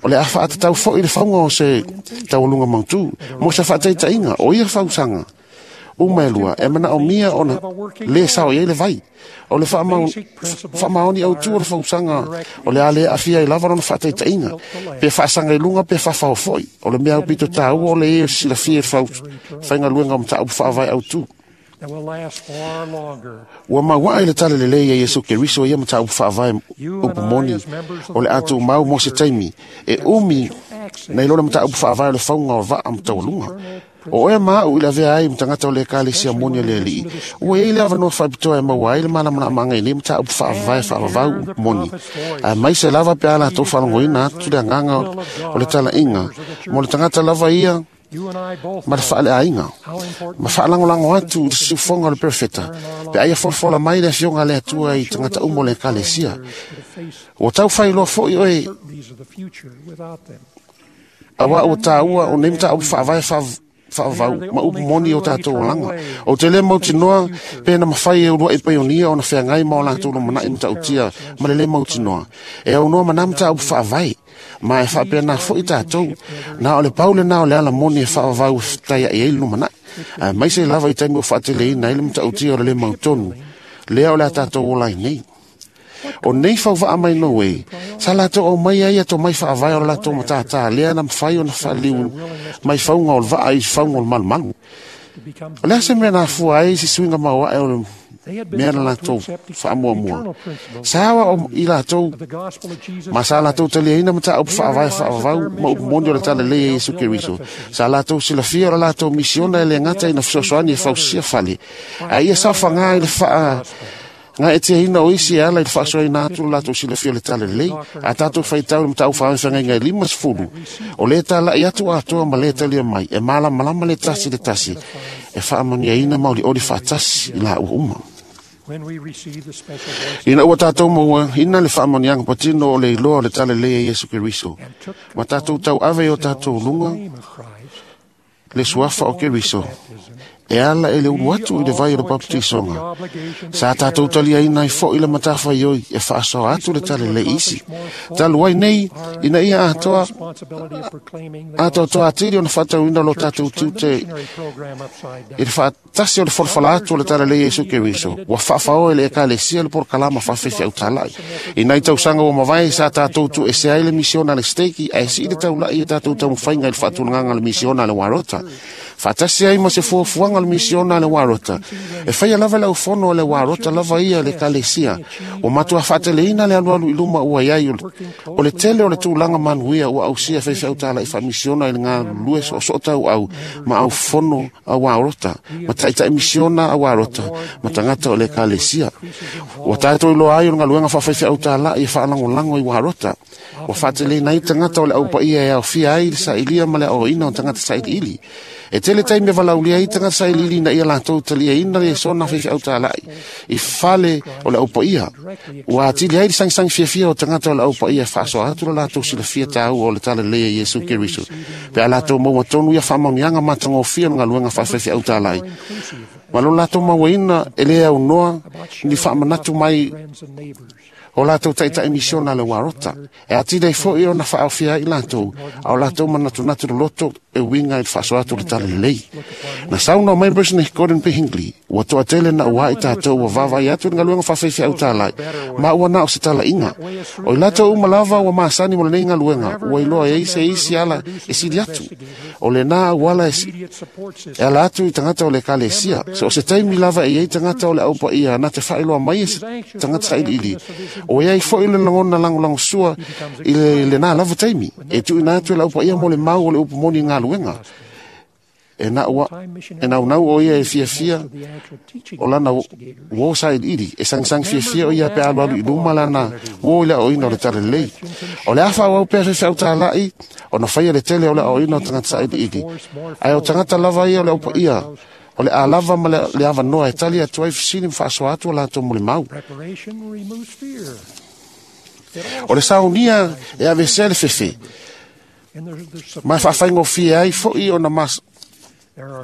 O le a faatatau foi le fauga o se taualuga mautū mo se faataitaiga o ia fausaga uma e lua e manaomia ona le sao i ai le vai. O le faamaoni autū o le fausaga o le a le aafia ai lava lona faataitaiga, pe faasaga i luga pe faafao foi. O le mea aupito tāua o le e silafia i le faigaluega o mataupu faavae autū. Ua mauaʻe le tala lelei ia Iesu Keriso ia mataupu faavae upu moni o le a tumau mo se taimi e umi nei lo le mataupu faavae o le fauga o vaa ma taualuga. O oe ma au i le avea ai ma tagata o le ekalesia moni a le Alii, ua i ai le avanoa faapitoa e maua ai le malamalamaga i nei mataupu faavae faavavau upu moni. Ae mai se lava pe a latou faalogoina atu le agaga o le talaiga mo le tagata lava ia ma le faaleaiga ma faalagolago atu i le siufoga o le perofeta, pe aia folafola mai le afioga a le Atua i tagata uma o le ekalesia. Ua tau failoa foi oe Auā ua tāua o nei mataupu faavae faavavau ma upu moni o tatou olaga. Ou te lē mautinoa pe na mafai e uluaʻi paionia ona feagai ma o latou lumanaʻi matautia ma le lē mautinoa. E aunoa ma nā mataupu faavae, ma e faapena foʻi tatou. Na o le pau lenā o le ala moni e faavavau e fetaiaʻi ai le lumanaʻi. Ae maise lava i taimi o faateleina ai le matautia o le lē mautonu, lea o le a tatou ola ai nei. O nei fauvaa mai Norway, sa latou aumai ai atomai faavae o le latou matātā lea na mafai ona faaliu mai fauga o le vaa i fauga o le malumalu. O le a se mea na afua ai se suiga maoae o le mea na latou faamuamua? Sa aoao i latou ma sa latou taliaina mataupu faavae faavavau ma upu moni o le talalelei a Iesu Keriso. Sa latou silafia o le latou misiona e le gata ina fesoasoani e fausia fale, a ia saofagā i le faa gaetiaina o isi e ala i le faasoaina atu le latou silafia o le talalelei. A tatou faitau i le mataupu faavae feagaiga e 50, o lē talaʻi atu atoa ma lē talia mai, e malamalama le tasi le tasi, e faamanuiaina maolioli faatasi i laua uma. Ina ua tatou mauaina le faamanuiaga patino o le iloa o le talalelei a Iesu Keriso, ma tatou tauave i o tatou luga le suafa o Keriso, e ala e le ulu atu i le vai o le papatisoga. Sa tatou taliaina ai foʻi le matafaioi e faasoa atu le talalelei isi. Talu ai nei, ina ia atoa atoatoa atili ona faatauina lo tatou tiute i le faatasi o le folafala atu o le talalelei a Iesu Keriso, ua faafaoa e le Ekalesia le polokalama faafeifeau talaʻi. I nai tausaga ua mavae sa tatou tuuesea ai le misiona a le Steki ae sii le taulaʻi e tatou taumafaiga i le faatulagaga o le misiona a le Warota. Faatasi ai ma se fuafuaga o le misiona a le Warota, e faia lava le aufono a le Warota lava ia le Ekalesia. Ua matuā faateleina le alualu i luma ua iai o le tele o le tulaga manuia ua ausia e faifeau talaʻi faamisiona i le galulue soosoo tauau ma aufono a Warota, ma taʻitaʻi misiona a Warota, ma tagata o le Ekalesia. Ua tatou iloa ai o le galuega faafaifeau talaʻi e faalagolago i Warota. Ua faateleina ai tagata o le aupaia e aofia ai le sailia ma le aoaoina o tagata sailiili. E tele taimi e valaulia ai tagata sailiili ina ia latou taliaina le sona faifeau talaʻi i fale o le aupaia. Ua atili ai le sagisagi fiafia o tagata o le aupaia e faasoa atu le latou silafia tāua o le talalelei a Iesu Keriso, pe a latou maua tonu ia faamaoniaga matagofie o le galuega faafaifeau talaʻi ma lo latou mauaina e lē aunoa ni faamanatu mai o latou taʻitaʻi misiona a le Warota. E atili ai foʻi ona faaofia ai latou, a o latou manatunatu loloto e uiga i le faasoa atu o le talalelei. Na saunoa mai President Gordon P. Hinckley, ua toatele na uaʻi tatou ua vaavaai atu i le galuega faafaifeau talaʻi, ma ua na o se talaʻiga. O i latou uma lava ua masani mo lenei galuega, ua iloa ai se isi ala e sili atu. O lenā auala e ala atu i tagata o le Ekalesia. So o se taimi lava e iai tagata o le aupaia na te faailoa mai e se tagata sailiili. O iai foʻi le lagona lagolagosua i le lenā lava taimi. E tuuina atu e le aupaia mo le mau o le upu moni i galuega. E naunau o ia e fiafia o lana uō sailiili, e sagisagi fiafia o ia pe alualu i luma lana uō i le aoaoina o le talalelei. O le a faaauau pea faifeau talaʻi ona faia le tele o le aoaoina o tagata sailiili. Ae o tagata lava ia o le aupaia, o le a lava ma le avanoa e tali atu ai fesili ma faasoa atu o latou molimau. O le saunia e avesea le fefe, ma e faafaigofie ai foʻi ona mas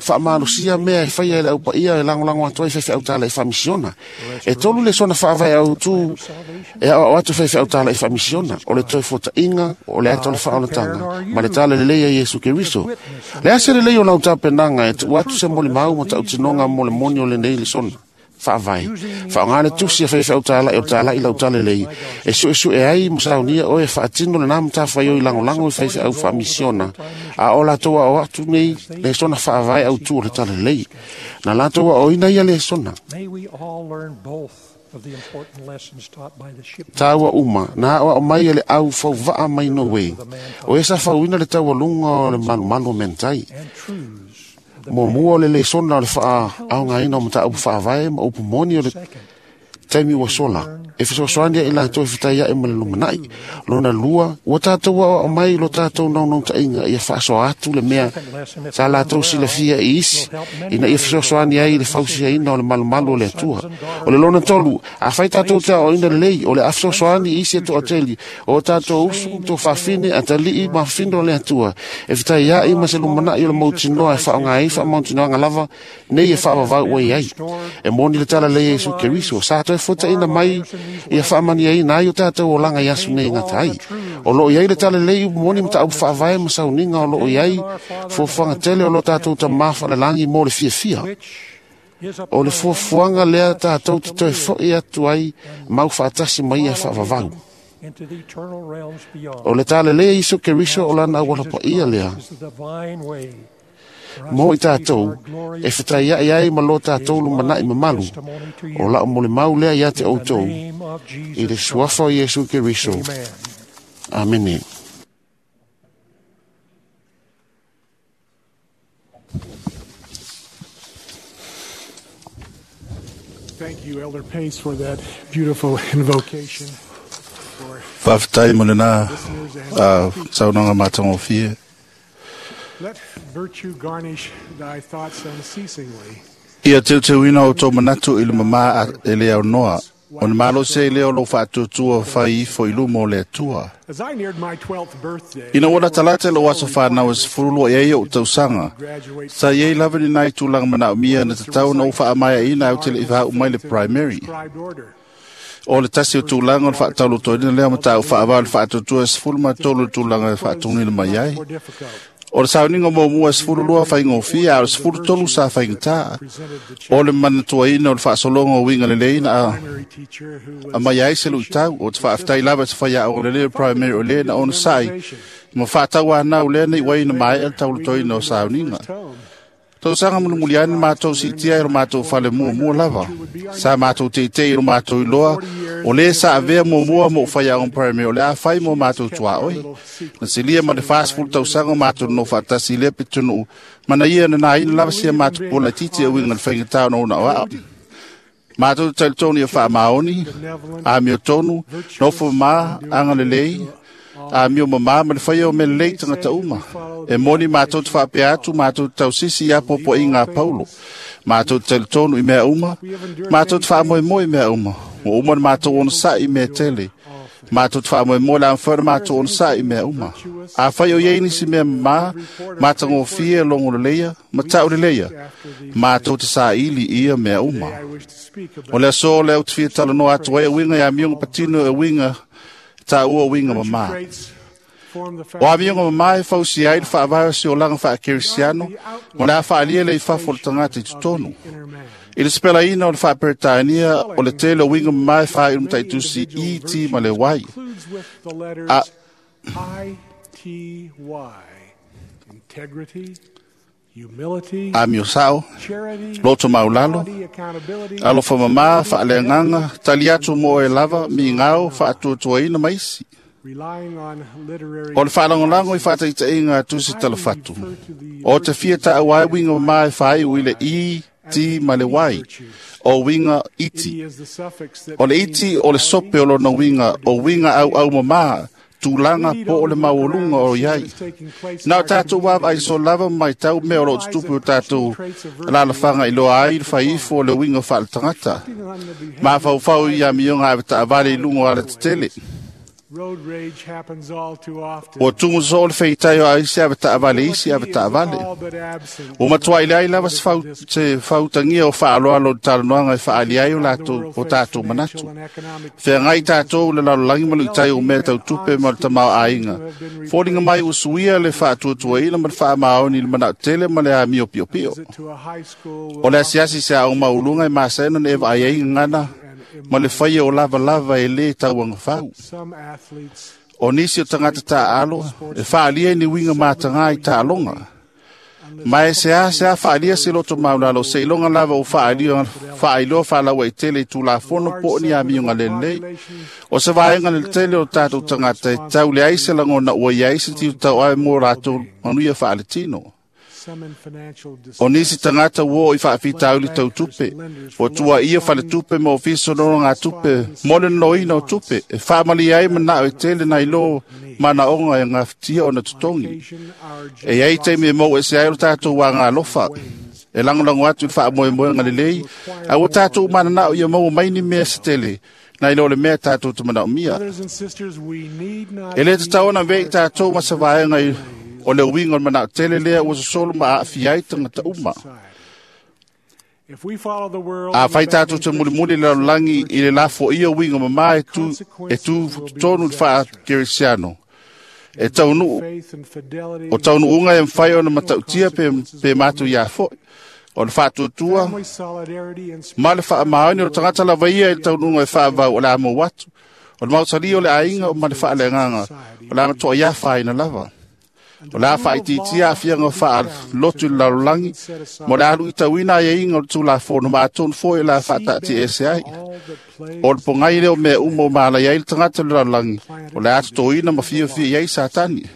faamalosia mea e faia e le aupaia e lagolago atu ai faifeau talaʻi faamisiona. E tolu le sona faavae autū e aoao atu faifeau talaʻi faamisiona, o le toe fuataʻiga, o le ata o le faaolataga, ma le talalelei a Iesu Keriso. Le a se lelei o lau tapenaga e tuu atu se molimau ma tautinoga mo le moni o lenei lesona faavae. Faaaogā le tusi a faifeau talaʻi o talaʻi lau talalelei e suʻesuʻe ai ma saunia oe e faatino lenā matafaioi lagolago i faifeau faamisiona, a o latou aoao atu nei lesona faavae autū o le talalelei. Na latou aoaoina ia lesona tāua uma na aoao mai e le au fauvaa mai Norway, o e sa fauina le taualuga o le malumalu o mentai. Muamua o le lesona o le faaaogaina o mataupu faavae ma upu moni o le Taimi ua sola, e fesoasoani ai latou e fetaia'i ma le lumanai. Lona lua, ua tatou aoao mai lo tatou naunautaiga ia faasoa atu le mea sa latou silafia i isi, ina ia fesoasoani ai i le fausiaina o le malumalu o le Atua. O le lona tolu, afai tatou te aoaoina lelei, o le a fesoasoani i isi e toatele o tatou usu, tuafafine, atalii ma afafine o le Atua, e fetaia'i ma se lumanai o le mautinoa e faaaoga ai faamautinoaga lava nei e faavavau ua i ai. E moni le tala lelei a Iesu Keriso, sa toe fuataina mai ia faamaniaina ai o tatou olaga i aso nei gata ai. O loo i ai le tala lelei moni mataupu faavae ma sauniga o loo i ai fuafuaga tele o lo tatou tamā faalelagi mo le fiafia. O le fuafuaga lea tatou te toe fo'i atu ai mau faatasi mai ia faavavau. O le tala lelei a Iesu Keriso o lana auala paia lea mo i tatou e fetaia'i ai ma lo tatou lumanai mamalu. O la'u molimau lea ia te outou i le suafa o Iesu Keriso. Amene. Thank you, Elder Pace, for that beautiful invocation. Faafetai mo lena saunoaga matagofie. Let virtue garnish thy thoughts unceasingly. Ia teuteuina o tō manatu i le mamā e le aunoa, o na malo se leo lo whaatutua whai ifo i lumo o le Atua. As I neared my 12th birthday, Ina ua latalata le aso whanau e sefululua i ai o tausanga, sa iai lava ni nai tūlanga manao mia na tatau na o whaamaya ina au te le iwa umai le primary. prescribed order. O le tasi o tūlanga o le whaataulotoina lea matau whaavau le whaatutua e sefulu ma tolu le tūlanga e whaatungina mai ai. More difficult. O le sauniga muamua e 12 faigofie, a o le 13 sa faigata. O le manatuaina o le faasologa o uiga lelei na Primary teacher who was a mai ai se luitau, o te faafetai lava te whaiaoga lelei o primary o lea na ona sai, ma whaatau anau lea nei wai na mai e le taulatoina o sauniga. Tausaga mulimuliani mātou siitia i lo mātou fale muamua lava. Sa mātou teitei i lo mātou iloa, o le sa avea muamua mo whaiaoga primary o le a whai mo mātou tuaoi. Na silia ma le 40 tausaga o mātou no whaatasi i lea pitunuu, mana ia na nā ina lava sia mātou pola titi e winga le whaingatau na ona o ao. Mātou te talitonu ia whaamaoni, a mio tonu, nofo mā, anga lelei, a mio mamā ma le whaia o me lelei tangata uma. E moni mātou te whaapea atu, mātou te tausisi ia popo i ngā paulo. Mātou te talitonu i mea uma, mātou te whaamoemoe i mea uma. Mo uma na mātou ona sa i mea tele. Mātou te whaamoemoe la amwhara mātou ona sa i mea uma. A whai o iei nisi mea mā, mātangofie longo leleia, matau leleia. Mātou te sa ili ia mea uma. I wish to speak about O le aso o le au te whia talanoa atu ai e winga ia mionga patino e winga tā ua winga mamā. traits form the O a mionga mamā e fausi ai le whaavae o si o langa wha kerisiano, mo le a whaalia le i whafo le tangata i tutonu. inner man. I le spela ina o le whaaperetania o le tele o winga mamā e wha i umtaitusi I, T ma le Y. Concludes with the letters A- I T Y. Integrity, humility, A mio sao, charity, loto maulalo, body accountability, alofa mamā, whaaleanganga, tali atu mo e lava, mi ngao, whaatuatuaina maisi. relying on literary O le whaalangolango i whaataitainga a tusi talafatu. O te fia ta au ai winga mā e whai ui le I, T ma le Y. O winga iti. Iti is the suffix that O le iti o le sope o lona winga, o winga au au mamā, tūlanga po o le mauolunga o iai. Nā o tātou wā ai so lava mai tau mea o lo tutupu o tātou lalawhanga i loa ai le whaifo o le winga whaale tangata. Mā whauwhau i a mionga ai wata i lungo ala te tele. Road rage happens all too often. O tungu so o le wheitai o aisi a wata isi a wata avale. All but absent. O matua i lai lava se whau, se whautangia o whaaloalo o talanoanga e whaali ai o lātou, o tātou manatu. Whea ngai tātou le lalolangi ma le utai o mea tau tupe ma le tamao āinga. Fōringa mai o suia le whaatuatuaina ma le whaamaoni le manao tele ma le a mio pio pio. To a high school O le asiasi se au maulunga e masaena na ewa ai ai ngana ma le whaia o lava lava e le tauanga whau. some athletes O nisi o tangata tā alo, e whaalia ni winga mātanga i tā alonga. Mai se a se a whaalia se loto maunalo, se ilonga lava o whaalia, whaailoa whaalawa i tele i tūlafono po ni a mionga lelei. O se vaenga le tele o tātou tangata e tau le ai se langona ua i ai se tiu tau ai mō rātou manuia whaaletino. O nisi tagata ua oo i faafitauli tau tupe, ua tuaia faletupe ma ofisa o nonogatupe mo le nonoina o tupe, e faamalie ai manao e tele nai lo manaoga e gafatia ona totogi. E iai taimi e mou ese ai o le tatou agalofa, e lagolago atu i le faamoemoega lelei, a ua tatou mananao ia maua mai ni mea se tele, nai lo le mea tatou te manaomia. E le tatau ona avea i tatou ma se vaega o le uiga o le manao tele lea ua sosolo ma aafia ai tagata uma. A fai tatou te mulimuli le lalolagi i le lafoia uiga mamā e tu totonu i le faakerisiano, e taunuu, o taunuuga e mafai ona matautia pe matou ia foi. O le faatuatua ma le faamaoni o le tagata lava ia i le taunuuga e faavau o le a mou atu. O le mausali o le aiga ma le faaleagaga o le a matoa ia afaina lava. O le a faaitiitia aafiaga faalotu i le lalolagi mo le aluitauina aiaiga o le Tulafono ma atonu foi o le a faataatiaese ai. O le pogai lea o mea uma o maalaia ai le tagata o le lalolagi, o le a totoina ma fiafia i ai Satani.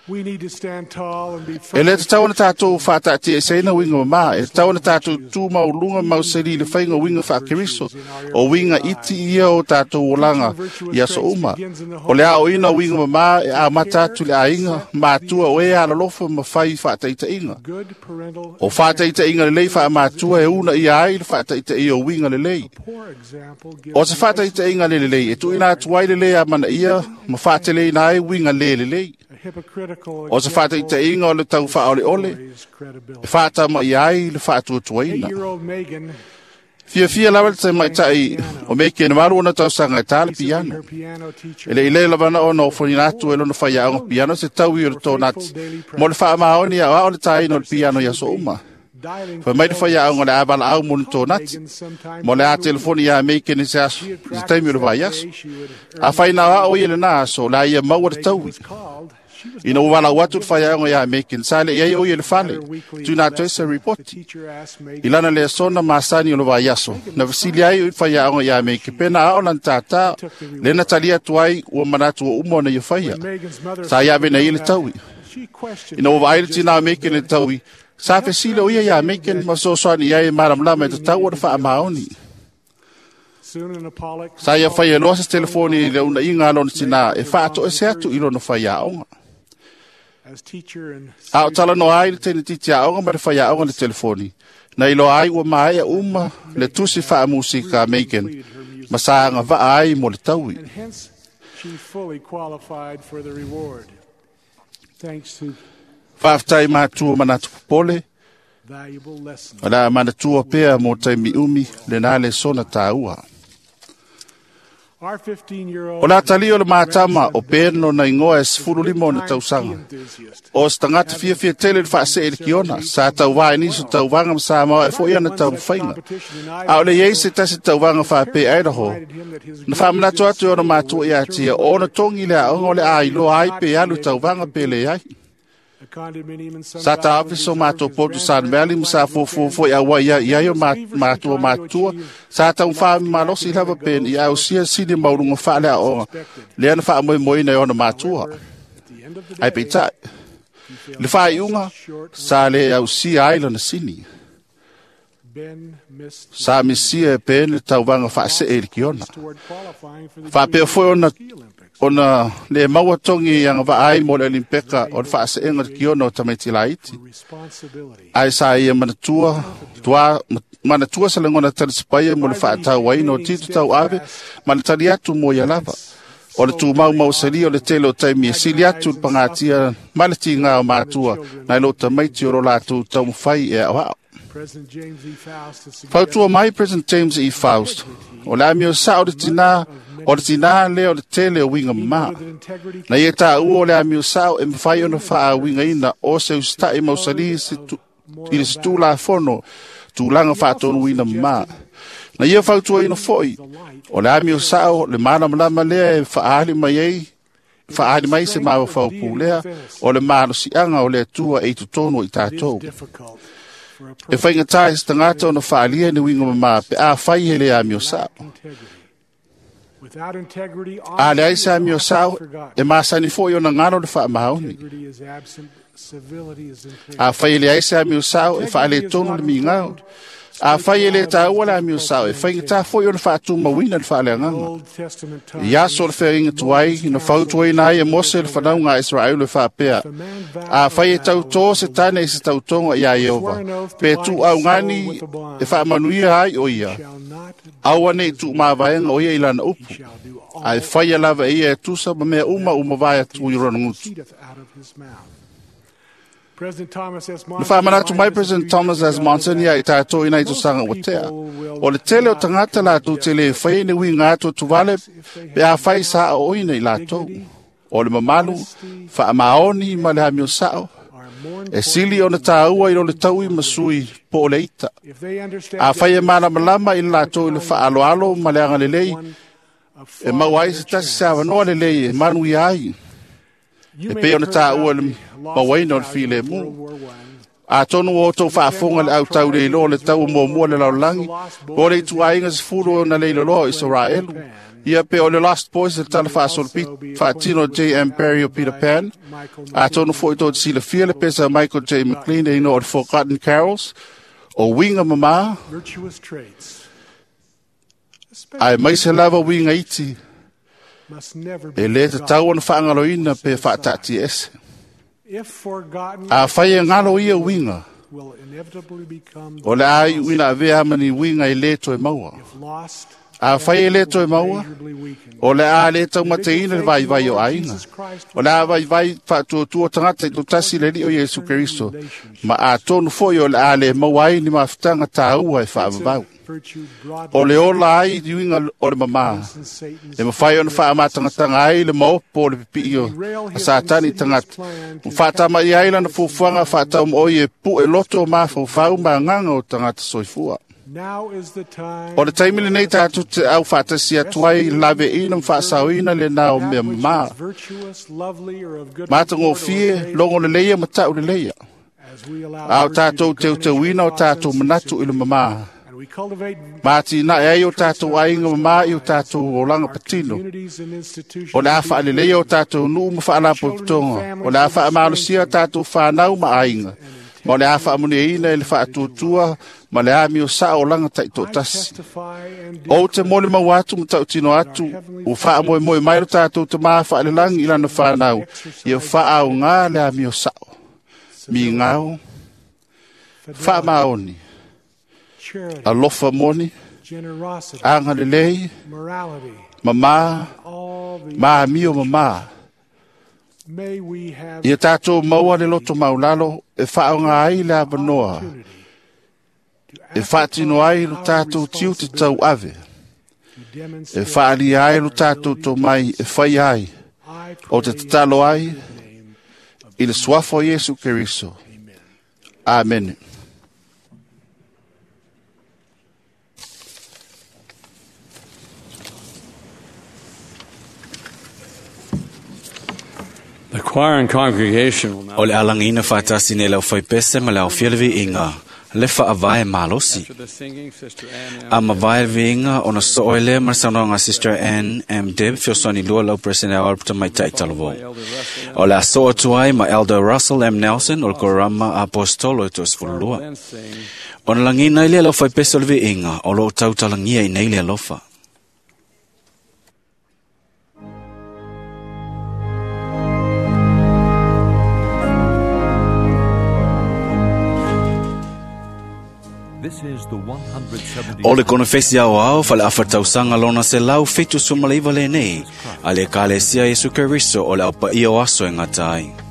E le tatau ona tatou faataatiaeseina uiga mamā, e tatau ona tatou tu maualuga ma mausali i le faiga o uiga faa-Keriso, o uiga iti ia o tatou olaga i aso uma. O le aoina o uiga mamā e amata atu i le aiga, matua o e alolofa ma fai faataitaiga. O faataitaiga lelei faamatua e uunaia ai le faataitaia o uiga lelei. O se faataitaiga le lelei e tuuina atu ai le lē amanaia ma faateleina ai uiga le lelei. O se faataitaiga o le tau faaoleole e faatamaia ai le faatuatuaina. Fiafia lava le tamaitai o Megan 8 ona tausaga e tā le piano. E le i le lava ona ofoina atu e lona faiaoga piano se taui o le tonati mo le faamaoni aoao le tāina o le piano i aso uma. Fai mai le faiaoga o le a valaau mo le tonati, mo le a telefoni ia Megan i se aso, i se taimi o le vaiaso. A fai na aoao ia lena aso, o le a ia maua le taui. Ina ua valaau atu le faiaoga ia Megan, sa le i ai o ia i le fale, tuuina atu ai se ripoti. I lana lesona masani o le vaiaso, na fesili ai le faiaoga ia Megan, pe na ao lana tātā, le na talia atu ai ua manatu ua uma ona ia faia. Sa ia ave na ia le taui. Ina ua vaai le tinā o Megan i le taui, sa fesili o ia ia Megan ma fesoasoani i ai e malamalama e tatau ona faamaoni. Sa ia faia loa se telefoni i le unaiga a lona tinā e faatoese atu i lona faiaoga. A o talanoa ai le tenetiti aoga ma le faiaoga i le telefoni, na iloa ai ua maea uma le tusi faamusika a Megan ma sa agavaa ai mo le taui. Faafetai matua manatu popole, o le a manatua pea mo taimi umi lena lesona tāua. O le atalii o le matama o Ben lona igoa e 15 ona tausaga. O se tagata fiafia tele le faasee i le kiona, sa tauvā i nisi o tauvaga ma sa maoae foi ana taumafaiga. A o le iai se tasi tauvaga faapea Idaho, na faamanatu atu e ona matua ia tia, o ona togi le aoga o le a iloa ai pe alu i tauvaga pe leai. Sa taofi so matou potu Sun Valley ma sa fuafua foi auai i ai o matua matua, sa taumafai malosi lava Ben i ausia sini maualuga faaleaoga lea na faamoemoeina e ona matua. Ae peitai, i le faaiuga, sa le ausia ai lona sini. Sa misia e Ben le tauvaga faasee i le kiona. Faapea foi ona le maua togi i agavaa ai mo le Olimpeka o le faaseega o le kiona o tamaiti laiti. Ae sa ia manatua, manatua se lagona talisapaia mo le faatauaina o tiute tauave ma le tali atu mo ia lava. O le tumau mausali o le tele o taimi e sili atu le pagatia ma le tigā o matua nai lo tamaiti o lo latou taumafai e aoao. Fautua mai President James E. Faust, o le amio sao o le tinā, o le tinā lea o le tele o uiga mamā. Na ia tāua o le amio sao e mafai ona faauigaina o se usitai mausali i le se tulafono tulaga faatonuina mamā. Na ia fautuaina foi, o le amio sao le malamalama lea e faaali mai ai faaali mai se mafaufau lea o le malosiaga o le Atua e i totonu o i tatou. E faigata i se tagata ona faaalia ni uiga mamā pe a fai he le amio sao. A leai se amio sao, e masani foi ona galo le faamaoni. Afai e leai se amio sa'o, e faaletonu le migao. Afai e lē tāua le amio sa'o, e faigata fo'i ona faatumauina le faaleagaga. I aso o le feagiga tuai, na fautuaina ai e Mose le fanauga a Isaraelu e faapea, afai e tautō se tane i se tautoga iā Ieova, pe tuuaugani e faamanuia ai o ia, aua nei tuumavaega o ia i lana upu, ae faia lava e ia e tusa ma mea uma ua mavae atu i lona gutu. Na faamanatu mai President Thomas S. Monson ia i tatou ina i tosaga ua tea. O le tele o tagata latou te lē faia ni uiga atu atuvale pe afai sa aoina i latou. O le mamalu, faamaoni ma le amio sa'o, e sili ona tāua i lo le taui ma sui po o le ita. Afai e malamalama i le latou i le faaaloalo ma le agalelei, e maua ai se tasi se avanoa lelei e manuia ai. E pei ona tāua le mauaina o le filemu. Atonu o outou faafofoga le autau leiloa o le tau muamua le lalolagi, po o le ituaiga 10 ona leiloloa o Isaraelu, ia pe o le Lost Boys le tala faatino J.M. Barrie o Peter Pan. Atonu foi tou te silafia le pesa Michael J. McLean e inoa o le Forgotten Carols, o uiga mamā, ae maise lava uiga iti, e lē tatau ona faagaloina pe faataatia ese. Afai e galo ia uiga, o le a iuina avea ma ni uiga e lē toe maua. Afai e lē toe maua, o le a lē taumateina le vaivai o aiga. O le a vaivai faatuatua tagata i totasi le Alii o Iesu Keriso, ma atonu foi o le a lē maua ai ni mafutaga tāua e faavavau. O le ola ai i uiga o le mamā, e mafai ona faamatagataga ai le maopo o le pipii o a Satani i tagata, ma faatamaia ai lana fuafuaga faataumaoi e pu'e loto o mafaufau ma agaga o tagata soifua. O le taimi lenei tatou te au faatasi atu ai laveina ma faasaoina lenā o mea mamā, matagofie, logo leleia ma ta'u leleia, a o tatou teuteuina o tatou manatu i le mamā, ma atinae ai o tatou aiga mamā i o tatou olaga patino. O le a faaleleia o tatou nuu ma faalapotopotoga, o le a faamalosia tatou fanau ma aiga, ma o le a faamanuiaina i le faatuatua ma le amio sa'o olaga taitoatasi. Ou te molimau atu ma tautino atu, ua faamoemoe mai lo tatou Tamā faalelagi i lana fanau, ia faaaogā le amio sa'o, migao, faamaoni, alofa moni, agalelei, mamā, ma amio mamā. Ia tatou maua le loto maulalo e faaaoga ai le avanoa, e faatino ai lo tatou tiute tauave, e faaalia ai lo tatou tomai e faia ai, o te tatalo ai i le suafa o Iesu Keriso. Amene. The choir and congregation will now O le alagiina faatasi nei le aufaipese ma le aofia le viiga, le faavae malosi. after the singing, Sister Ann M. A mavae le viiga ona soo ai lea ma le saunoaga Sister Ann M. Deb feosani lua lau President ao Alberta Maitai Talavou. Elder Russell O le a soo atu ai ma Elder Russell M. Nelson o le Korama Apostolo e 32. then sing Ona lagina ai lea le aufaipese o le viiga o loo tautalagia i nei le alofa. This is the 170. O le konofesi ao ao fale afatausaga lona 179 lenei, a le Ekalesia Iesu Keriso o le aupaia o aso e gata ai. Amen.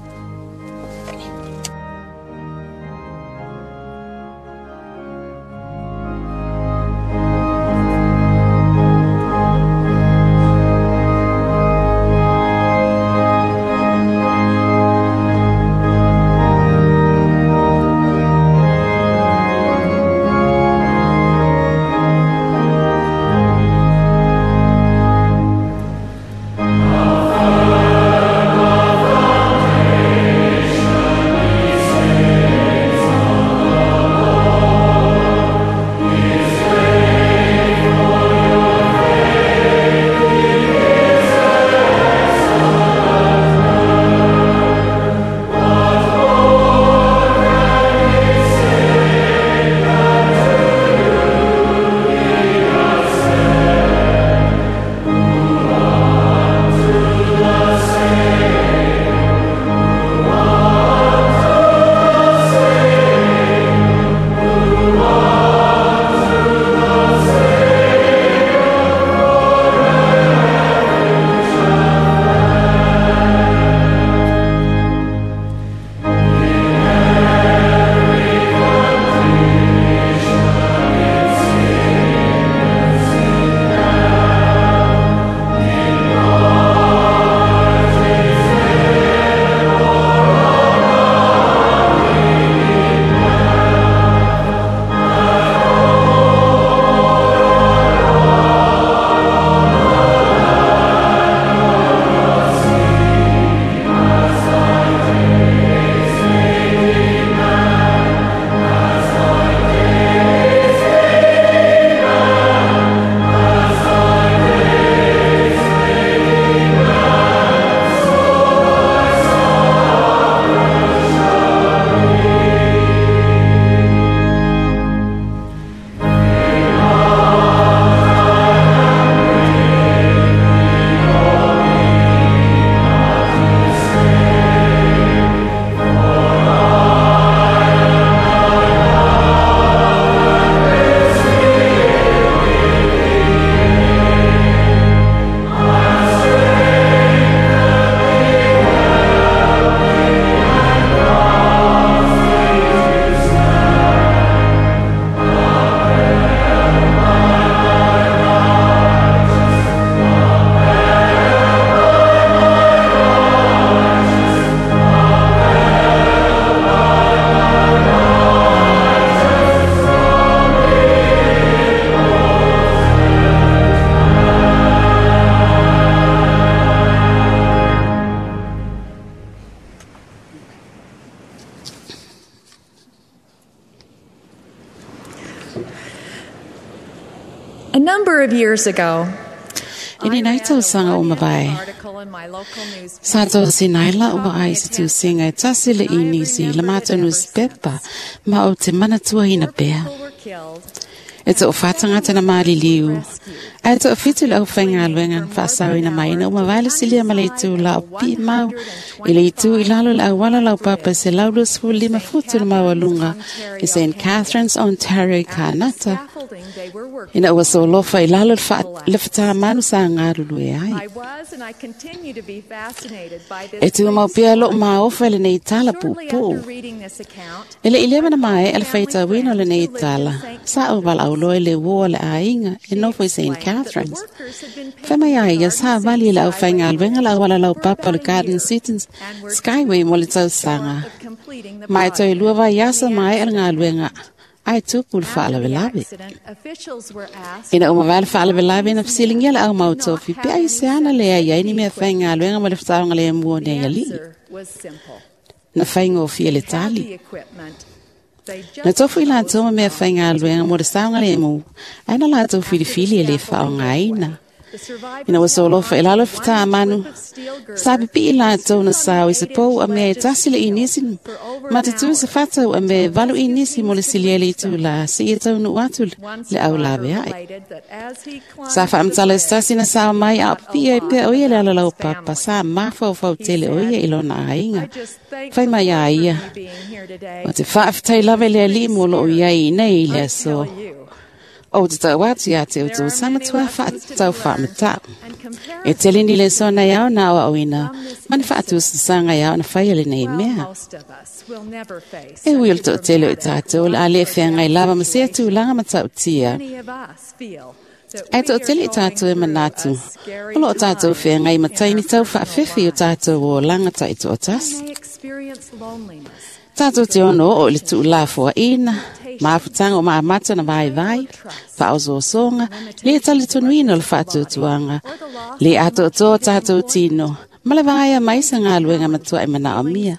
of years ago, I lenei tausaga o mavae, sa tausinai lau vaai i se tusiga e tasi le inisi i le matou nusipepa ma ou te manatuaina pea. E toʻafa tagata na maliliu, ae toʻafitu le aufaigaluega na faasaoina mai ina ua mavae le silia ma le itulā o piimau i le itu i lalo i le auala laupapa e 125 futu le maualuga i St. Catharines, Ontario i Kanata, ina ua solofa i lalo le fatāmanu sa galulue ai. E tumau pea loʻu maofa i lenei tala puupuu. E leʻi leva na maeʻa le faitauina o lenei tala, sa ou valaauloa i le uō a le aiga e nofo i St. Catharines. Fai mai ai ia sa vali i le aufaigaluega le auala laupapa o le Garden City Skyway mo le tausaga. Ma e toe lua vaiaso maeʻa le galuega ae tupu le faalavelave. Ina ua mavae le faalavelave na fesiligia le aumautofi pe ai se ana leai ai ni mea faigaluega ma le fetaogalemu o nei alii. Na faigofie le tali. Na tofu i latou ma mea faigaluega mo le saogalemu ae na latou filifili e lē faaaogaina. Ina ua solofa i lalo le fatāmanu, sa pipii latou na sao i se pou a mea e tasi le inisi ma te tu se fatau a mea e valu inisi mo le silia i le itulā seia taunuu atu le aulaveai. Sa faamatala i se tasi na sao mai a o pipii ai pea o ia le alalaupapa sa mafaufau tele o ia i lona aiga. Fai mai a ia, o te faafetai lava i le alii mo loo i ai nei i le aso. Ou te tau atu iā te outou sa matua faatau faamatau. E tele ni lesona e ao na aoaoina ma ni faatusasaga e ao na faia lenei mea. E ui o le toʻatele o i tatou o le a lē feagai lava ma sea tulaga matautia. Ae toʻatele i tatou e manatu, o loo tatou feagai ma taimi tau faafefe i o tatou olaga taitoatasi. Tatou te ono oo i le tuulafoaina, mafutaga o maamata na vaivai, faaosoosoga, le talitonuina o le faatuatuaga, le atoatoa tatou tino, ma le vaea mai se galuega matuaʻi manaomia.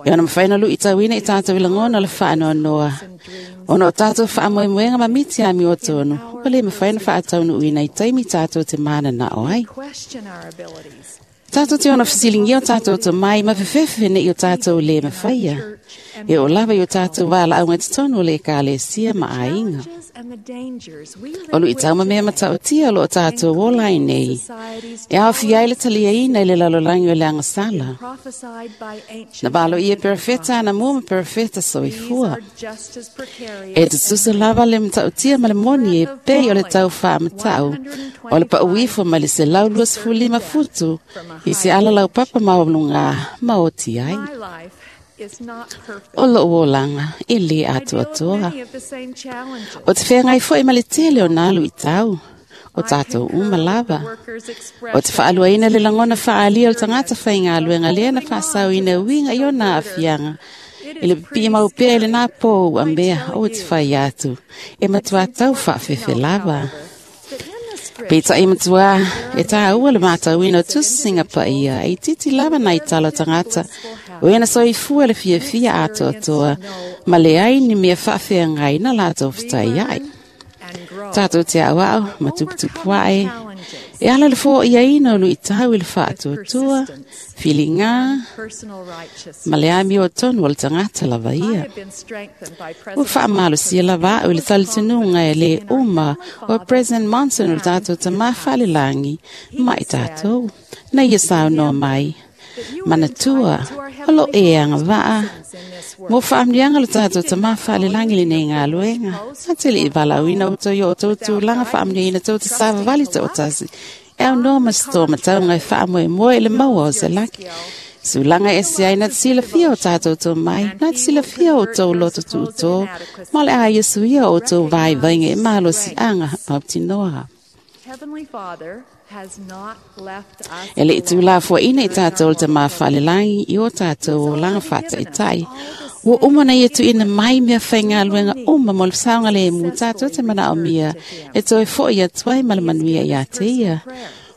E ona mafai ona luʻitauina i tatou i lagona o le faanoanoa, ona o tatou faamoemoega ma miti amiotonu, ua lē mafai ona faataunuuina i taimi tatou te mananao ai. Tatou te ono fesiligia o tatou tomai ma fefefe nei o tatou lē mafaia. E oo lava i o tatou valaauga i totonu o le ekalesia ma aiga. O luʻitau ma mea matautia o loo tatou ola ai nei. E aofia ai le taliaina i le lalolagi o le agasala. Na valoia e perofeta anamua ma perofeta soifua. E tutusa lava le matautia ma le moni e pei o le tau faamatau o le paʻu ifo mai le 125 futu i se ala laupapa maualugā maoti ai. O lou olaga e lē atoatoa. O te feagai foʻi ma le tele o nā luʻitau o tatou uma lava. O te faaluaina le lagona faaalia o le tagata faigaluega lea na faasaoina uiga i ona aafiaga i le pipii mau pea i lenā pou a mea o te fai atu e matuā tau faafefe lava. Peitaʻi matuā e tāua le matauina o tusisiga paia e itiiti lava nai tala tagata o ena soifua le fiafia atoatoa ma leai ni mea faafeagai na latou fetaiaʻi. Tatou te aʻoaʻo ma tuputupu aʻe e ala le foʻoiaina o luʻitau i le faatuatua, filigā ma le amiotonu o le tagata lava ia. Ua faamalosia lava aʻu i le talitonuga e lē uma o President Monson o le tatou tamā faalelagi ma i tatou. Na ia saunoa mai, manatua o loo e agavaa mo faamanuiaga lo tatou tamā faalelagi lenei galuega. Na te leʻi valaauina outou i o outou tulaga faamanuiaina tou te savavali toʻatasi e aunoa ma se tomatauga e faamoemoe i le maua o se laki. Sulaga ese ai na te silafia o tatou tomai, na te silafia o outou loto tuutō, ma o le a Iesu ia o outou vaivaiga e malosiaga mautinoa. E leʻi tulafoaʻina i tatou o le tamā faalelagi i o tatou olaga faataʻitaʻi. Ua uma na ia tuuina mai mea faigaluega uma mo le saogalēmū tatou te manaʻomia e toe foʻi atu ai ma le manuia iā te ia.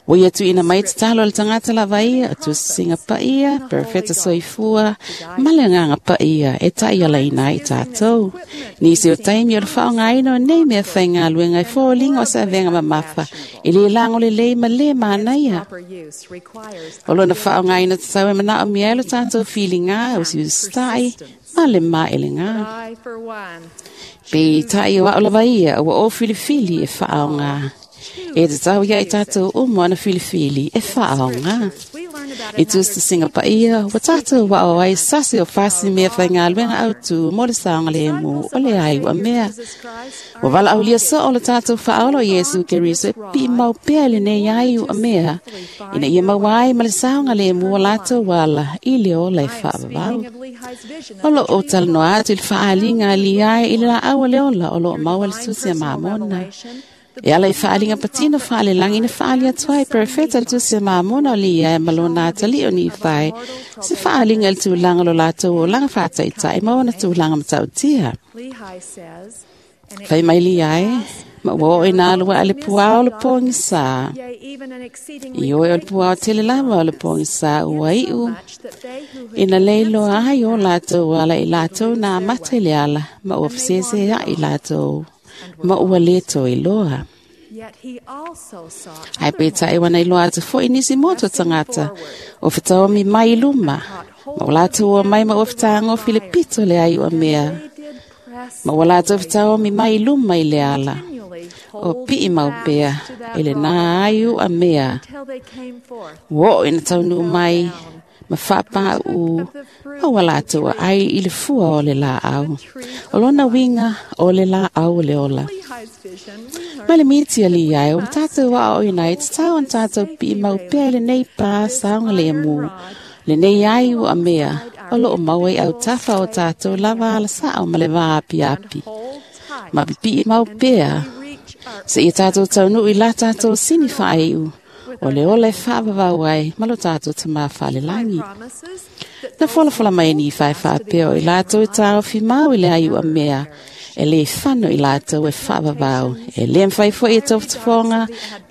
Ua ia tuuina mai tatalo a le tagata lava ia, o Tusiga Paia, Perofeta Soifua, ma le Agaga Paia e taialaina ai tatou. Nisi o taimi o le faaaogaina o nei mea faigaluega e foliga o se avega mamafa e lē lagolelei ma lē manaia. O lona faaaogaina tatau e manaomia ai lo tatou filiga, usiusitai ma le maelega. Peitai o a'u lava ia ua ou filifili e faaaoga. E tatau ia i tatou uma ona filifili e faaaoga. I Tusitusiga Paia, ua tatou a'o ai sasi o fasi mea faigaluega autū mo le saogalemu o le ai ua mea. Ua valaaulia soo le tatou faaola o Iesu Keriso e piimau pea i lenei ai ua mea, ina ia maua ai ma le saogalemu o latou ala i le ola e faavavau. O loo talanoa atu i le faaaliga a Liai i le laau o le ola o loo maua le Tusi a Mamona. E ala i faaaliga patino faalelagi na faaali atu ai perofeta le Tusi a Mamona o Liai ma lona atalii o Nifai se faaaliga i le tulaga o lo latou olaga faataitai ma ona tulaga matautia. Fai mai Liai, ma ua oo ina alu ae le puao o le pogisā. I oe o le puao tele lava o le pogisā ua iu ina leiloa ai o latou ala i latou na amata i le ala ma ua feseseaʻi latou ma ua lē toe iloa. Ae peitai ua na iloa atu foʻi nisi motu o tagata o fetaomi mai i luma ma ua latou o mai ma ua fetagofi i le pito o le ai ua mea ma ua latou fetaomi mai i luma i le ala o pii mau pea i lenā ai u'a mea ua oo ina taunuu mai ma faapauu ma ua latou aai i le fua o le laau. O lona uiga o le laau o le ola. Ma le miti a Liai, ua tatou aoaoina ai tatau ona tatou piimau pea i lenei pā saogalemu, lenei ai ua mea o loo maua i autafa o tatou lava alasao ma le vaapiapi. Ma pipii mau pea seia tatou taunuu i la tatou sini faaiu o le ola e faavavau ai ma lo tatou Tamā faalelagi. Na folafola mai ni fae faapea o i latou e taofi mau i le ai ua mea e lē fano i latou e faavavau. E lē mafai foʻi e tofotofoga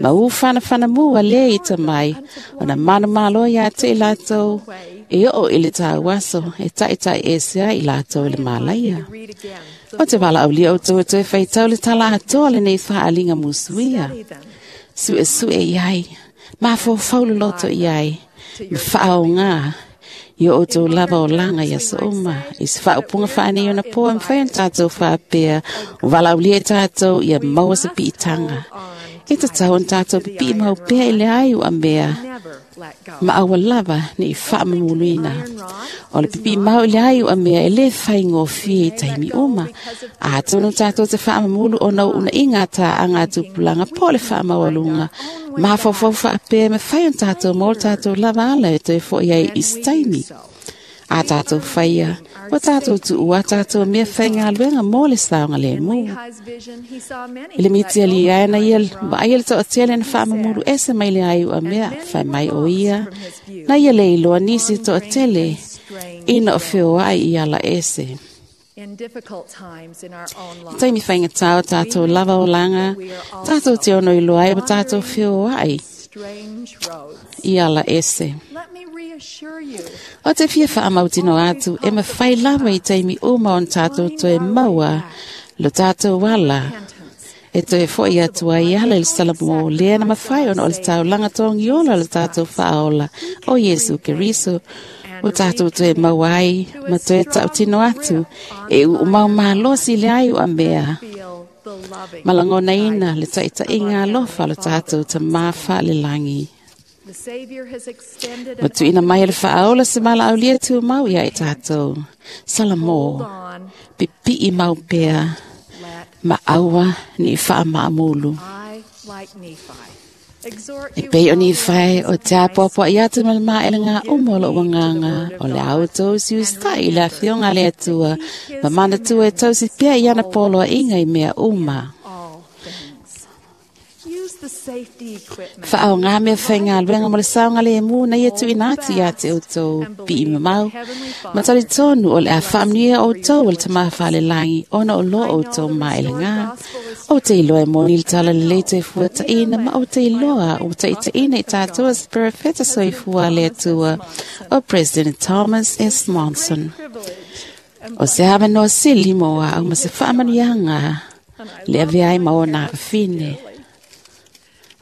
ma ufanafana-mu a lē ita mai ona manumalo iā te i latou e oo i le tauaso e taʻitaʻi ese ai i latou i le malaia. O te valaaulia outou e toe faitau le tala atoa lenei faaaliga musuia. Suʻesuʻe i ai, mafaufau loloto i ai, ma faaogā i o outou lava olaga i aso uma. I se faaupuga faanei ona po e mafai ona tatou faapea, o valaaulia i tatou ia maua se piitaga. E tatau ona tatou pipii mau pea i le ai ua mea, ma aua lava nei faamamuluina. O le pipii mau i le ai ua mea e lē faigofie i taimi uma. Atonu tatou te faamamulu ona uunaiga taʻaga a tupulaga po o le faamaualuga. Mafaufau faapea e mafai ona tatou maua le tatou lava ala e toe foʻi ai i se taimi. A tatou faia, ua tatou tuua tatou mea faigaluega mo le saogalemu. I le miti a Liai na ia vaaia le toatele na faamamulu ese mai le ai ua mea, fai mai o ia, na ia le iloa nisi toatele ina o feoai i ala ese. I taimi faigatā o tatou lava olaga, tatou te ono iloa ai ua tatou feoai i ala ese. O te fia faamautino atu e mafai lava i taimi uma ona tatou toe maua lo tatou ala e toe foʻi atu ai ala i le Salamo lea na mafai ona o le taulaga togiola o le tatou faaola o Iesu Keriso ua tatou toe maua ai ma toe tautino atu e uumau malosi le ai ua mea ma lagonaina le taʻitaʻiga alofa o le tatou Tamā faalelagi. Ma tuuina mai e le faaola se malaaulia tumau ia i tatou. Salamo, pipii mau pea, ma aua ni faamaamulu. E pei o Nifai o te apoapoaʻi atu ma le maelega uma o lou agaga o le a outou siusitai i le afioga a le Atua ma manatua e tausi pea i ana poloaiga i mea uma. Faaogā mea faigaluega mo le saogalēmū na ia tuuina atu iā te outou pii mamau, ma talitonu o le a faamanuia outou e le Tamā Falelagi ona o lo outou maelegā. Ou te iloa e moni le talalelei toefuataʻina ma ou te iloa ua taʻitaʻina i tatou e se perofeta soifua a le Atua o President Thomas S. Monson. O se avanoa sili mo au ma se faamanuiaga le avea ai ma ona afafine.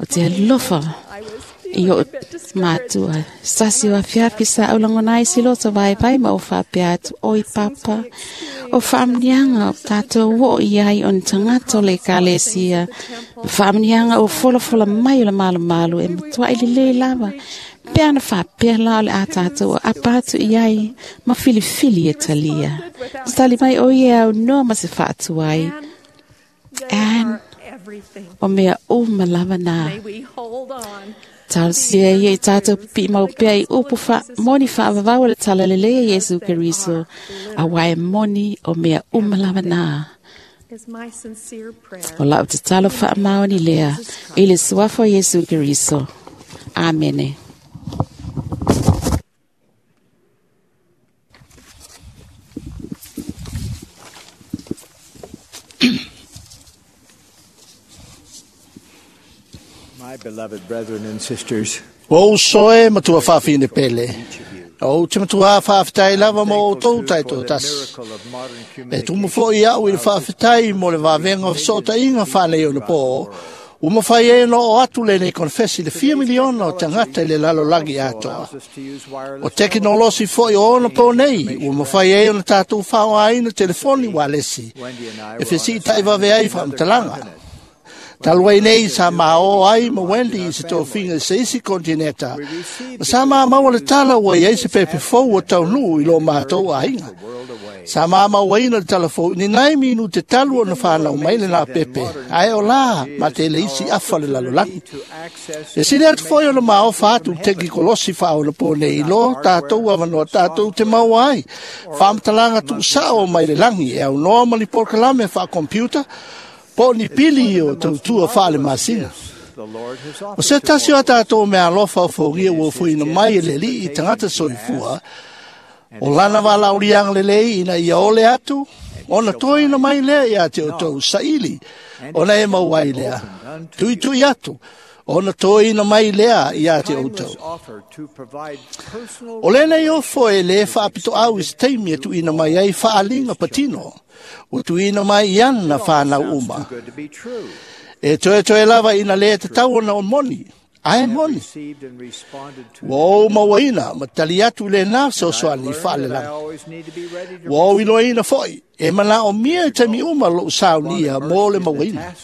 O te alofa i o matua. Sasi o afiafi sa au lagona ai se loto vaivai ma o faapea atu oi papa. O faamanuiaga o tatou oo i ai o ni tagata o le ekalesia. Ma faamanuiaga ua folafola mai o le malumalu e matuai lelei lava. Pe ana faapea la o le a tatou aapa atu i ai ma filifili e talia. Tali mai o ia aunoa ma se faatuai. Anne, o mea uma lava nā. Talosia ia i tātou pipii mau pea i upu moni faavavau o le talalelei a Iesu Keriso, auā e moni o mea uma lava nā. O lau tatalo faamaoni lea i le suafa o Iesu Keriso. Amene. My beloved brethren and sisters, Ua ou uso e ma tuafafine pele. O ou te matua faafetai lava mo outou taitoatasi. E tumu foʻi aʻu i le faafetai mo le vavega o fesoʻotaiga faaleiono pō, ua mafai ai ona oo atu lenei konefesi le fia miliona o tagata i le lalolagi atoa. O tekinolosi foʻi o ona pō nei, ua mafai ai ona tatou faaaogaina telefoni ualesi e fesiʻitaʻi vave ai faamatalaga. Talu ai nei sa maō ai ma Wendy i se tofiga i se isi kontineta, ma sa maua le tala ua i ai se pepe fou o taunuu i lo matou aiga. Sa mamauaina le tala fou ni nai minute talu ona fanau mai lenā pepe, ae o lā ma te le isi afa le lalolagi. E sili atu foʻi ona maofa atu tekikolosi faaonapō nei i lo tatou avanoa tatou te maua ai faamatalaga tuusaʻo mai le lagi e aunoa ma ni polokalame faakompiuta po o ni pili o tautua faalemasina. O se tasi o a tatou mea alofa ofougia ua ofoina mai e le Alii i tagata soifua, o lana valaauliaga lelei ina ia ole atu, ona toina mai lea iā te outou saili, ona e maua ai lea. Tuitui atu, ona toina mai lea iā te outou. O lenei ofo e lē faapitoau i se taimi e tuuina mai ai faaliga patino, ua tuuina mai i ana fanau uma. E toetoe lava ina lē tatau ona o moni, ae moni. Ua ou mauaina ma tali atu i lenā fesoasoani faalelagi. Ua ou iloaina foʻi e manaʻomia i taimi uma loʻu saunia mo le mauaina.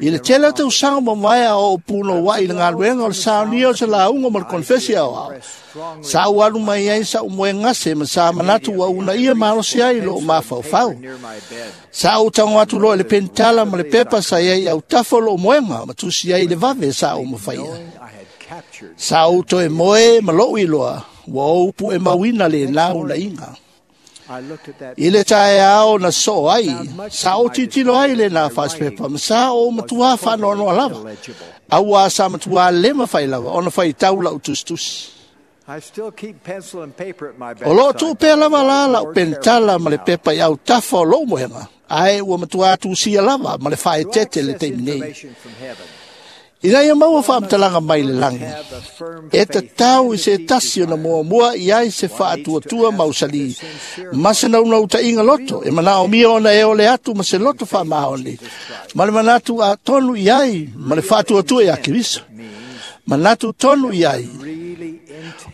I le tele o tausaga mavae a ou punouaʻi i le galuega o le saunia o se lauga ma le konefesi aoao, sa ou alu mai ai saʻu moegase ma sa manatu ua uunaia malosi ai loʻu mafaufau. Sa ou tago atu loa i le penitala ma le pepa sa i ai i autafa o loʻu moega ma tusi ai i le vave sa ou mafaia. Sa ou toe moe ma loʻu iloa ua ou puʻemauina lenā uunaʻiga. I le taeao na soo ai, sa ou tilotilo ai lenā fasipepa ma sa ou matuā faanoanoa lava, auā sa matuā le mafai lava ona faitau lau tusitusi. O loo tuu pea lava la lau penitala ma le pepa i autafa o lou moega, ae ua matuā tusia lava ma le faaeteete le taimi nei. Ina ia maua faamatalaga mai le lagi, e tatau i se tasi ona muamua i ai se faatuatua mausalī ma se naunautaiga loto e manaomia ona e ole atu ma se loto faamaoni ma le manatu atonu i ai ma le faatuatua iā Keriso. Manatu tonu i ai.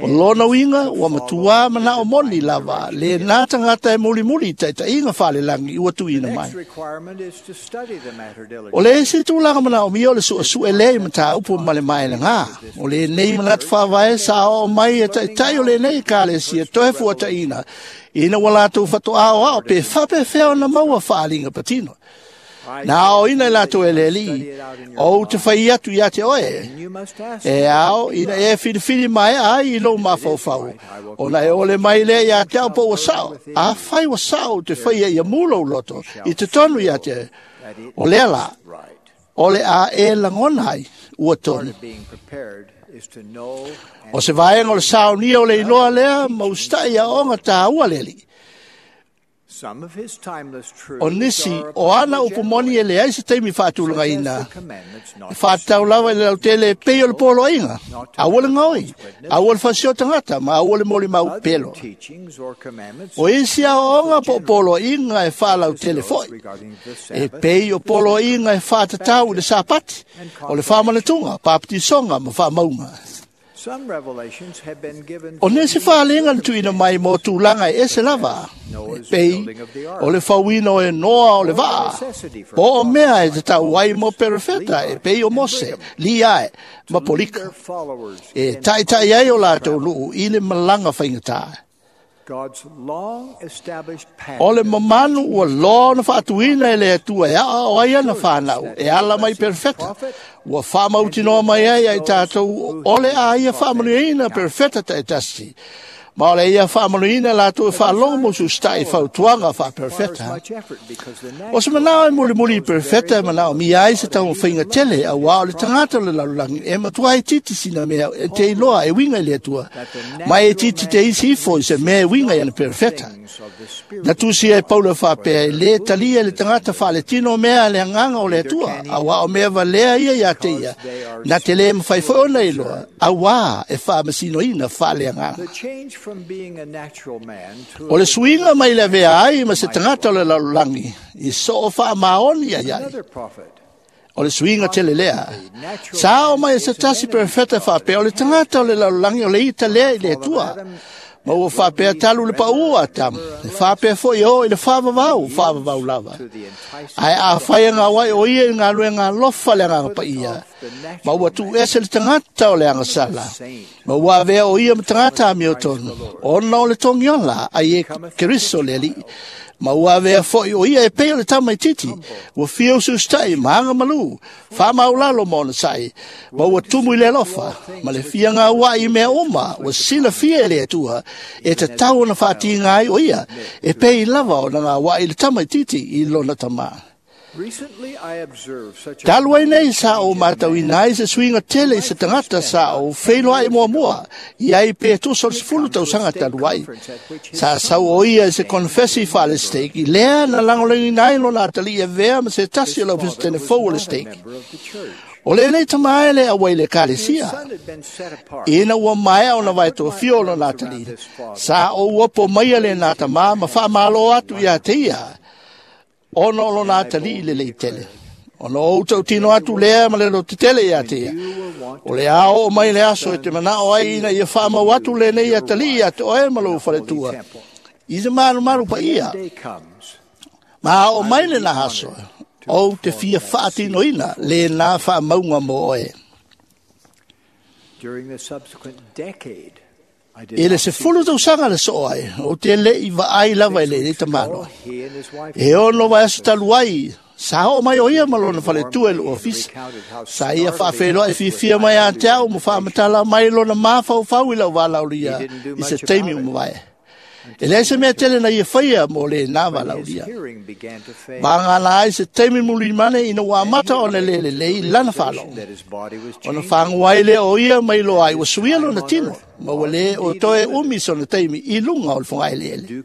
O lona uiga ua matuā manaʻo moni lava lenā tagata e mulimuli i taʻitaʻiga faalelagi ua tuuina mai. O le isi tulaga manaʻomia o le suʻesuʻe lea i mataupu ma le maelegā. O lenei manatu faavae sa oo mai e taʻitaʻi o lenei ekalesia toe fuataʻina ina ua latou fatoʻā oaʻo pe faapefea ona maua faaliga patino. Na aoina i latou e le Alii, ou te fai atu iā te oe, e ao ina e filifili maeʻa ai i lou mafaufau, ona e ole mai lea iā te au po ua saʻo, afai ua saʻo ou te faia ia mu lou loto i totonu iā te oe, o lea la, O le a e lagona ai ua tonu. O se vaega o le saonia o le iloa lea ma usita'i aoaoga tāua le Alii. O nisi o ana upu moni e leai se taimi faatulagaina, e faatatau lava i le lautele e pei o le poloaiga, aua le gaoi, aua le faasio tagata ma aua le molimau pelo. O isi aoaoga po o poloaiga e faalautele foi, e pei o poloaiga e faatatau i le Sapati, o le faamanatuga, papatisoga ma faamauga. O nisi faaliga na tuuina mai mo tulaga e ese lava, e pei o le fauina o e Noa o le vaa, po o mea e tatau ai mo perofeta e pei o Mose, Liae ma Polika, e taʻitaʻi ai o latou nuu i le malaga faigata. O le mamanu ua loa ona faatuina e le Atua e aoao ai ana fanau e ala mai perofeta, ua faamautinoa mai ai ai tatou o le a ia faamanuiaina perofeta taitasi, ma o le ia faamanuiaina latou e faalogo ma usuusitaʻi i fautuaga faaperofeta. O se manao e mulimuli i perofeta e manaomia ai se taumafaiga tele, auā o le tagata o le lalolagi e matua itiiti sina mea e te iloa e uiga i le Atua, ma e itiiti te isi ifo i se mea e uiga i ana perofeta. Na tusia e Paulo e faapea e lē talia e le tagata faaletino mea a le agaga o le Atua, auā o mea valea ia iā te ia, na te lē mafai foi ona iloa, auā e faamasinoina faaleagaga. O le suiga mai le avea ai ma se tagata o le lalolagi i soo faamaoni ai ai. O le suiga tele lea. Sa o mai e se tasi perofeta faapea o le tagata o le lalolagi o le ita lea i le Atua. Ma ua faapea talu le paʻu a Atamu, e faapea foi e oo i le faavavau, faavavau lava. Ae afai e gauai o ia i le galuega alofa le Agaga Paia, ma ua tuuese le tagata o le agasala, ma ua avea o ia ma tagata amiotonu, ona o le togiola a Ie Keriso le Alii, ma ua avea foi o ia e pei o le tamaitiiti, ua fia usuusitaʻi ma agamalu, faamaulalo ma onosai, ma ua tumu i le alofa, ma le fia gauaʻi i mea uma ua silafia e le Atua, e tatau ona faatiga ai o ia, e pei lava ona gauaʻi i le tamaitiiti i lona tamā. Talu ai nei sa ou matauina ai se suiga tele i se tagata sa ou feiloai muamua i ai pe tusa o le 10 tausaga talu ai. Sa sau o ia i se konfesi faale-stake, lea na lagolagoina ai lona atalii e avea ma se tasi o le aupesetene fou o le stake. O lenei tama e le auai i le ekalesia. Ina ua maea ona vaetofia o lona atalii, sa ou opo maia lenā tamā ma faamālō atu iā te ia, ona o lona atalii lelei tele. Ona ou tautino atu lea ma le lotetele iā te ia. O le a oo mai le aso e te manao ai ina ia faamau atu lenei atalii ia te oe ma lou faletua i se malumalu paia. Ma a oo mai lenā aso, ou te fia faatinoina lenā faamauga mo oe. I le 10 tausaga na soo ai, ou te leʻi vaai lava i lenei tamāloa. E 6 vaiaso talu ai, sa oo mai o ia ma lona faletua i lou ofisa. Sa ia faafeiloai fiafia mai ia te au ma faamatala mai lona mafaufau i lau valaaulia i se taimi ua mavae. E leai se mea tele na ia faia mo lenā valaaulia. Vagana ai se taimi mulimane ina ua amata ona lē lelei lana faalogo. Ona fagua ai lea o ia mai loa ai ua suia lona tino, ma ua lē o toe umi sona taimi i luga o le fogaeleele.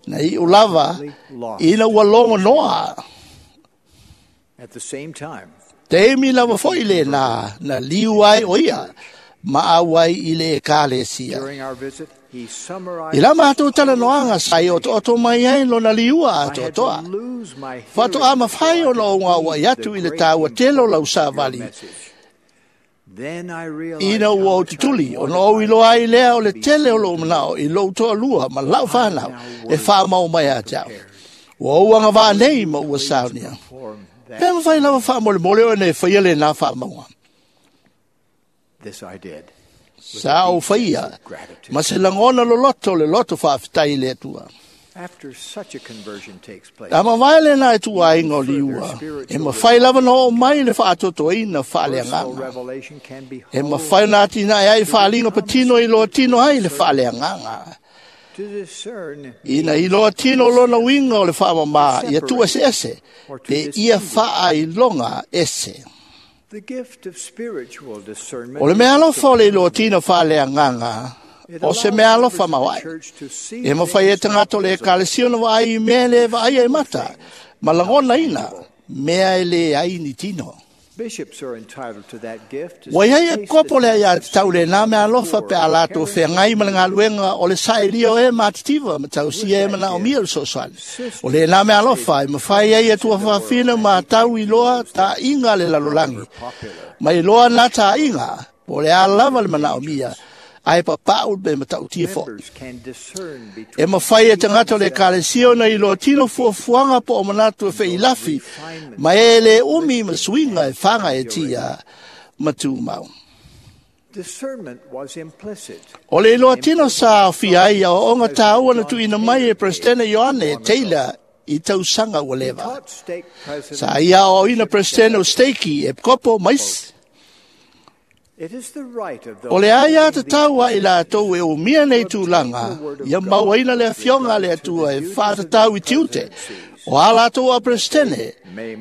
Na iʻu lava ina ua logonoa. Taimi lava foi lenā na liu ai o ia ma auai i le ekalesia. I la matou talanoaga sa i otooto mai ai lona liua atoatoa. Faatoa mafai ona ou gauaʻi atu i le taua tele o lau savali ina ua ou tutuli, ona ou iloa ai lea o le tele o lou manao i lou toalua ma lau fanau e faamau mai ia te au. Ua ou agavaa nei ma ua saunia. Pe mafai lava faamolemole oe ona e faia lenā faamauga. Sa ou faia ma se lagona loloto o le loto faafetai i le Atua. A mavae lenā ituaiga o liua, e mafai lava ona oo mai le faatoatoaina faaleagaga. E mafai ona atinae ai faaliga patino i loa tino ai le faaleagaga. Ina iloa tino lona uiga o le faamamā ia tuueseese pe ia faailoga ese. O le mea alofa o le iloa tino faaleagaga o se mea alofa maoae. E mafai e tagata o le ekalesia ona vaai i mea e le vaaia e mata ma lagonaina mea e le ai ni tino. Ua iai e kopo le aiā tatau lenā mea alofa pe a latou feagai ma le galuega o le saelia o e matitiva ma tausia e manaomia le fesoasoani. O lenā mea alofa e mafai ai e tuafafine ma tau iloa taaiga le lalolagi. Ma iloa nā taaiga po o le a lava le manaomia ae papau pe matautia foʻi. E mafai e tagata o le ekalesia ona iloa tino fuafuaga po o manatu e feilafi ma e lē umi ma suiga e faga e tia ma tumau. O le iloa tino sa aofia ai aoaoga tāua na tuuina mai e Peresetene Ioane Taylor i tausaga ua leva. Sa ia aoaoina Peresetene o Steiki e Kopo ma isi. O le aiā tatau a i latou e umia nei tulaga, ia mauaina le afioga a le Atua e faatatau i tiute o a latou a Peresetene,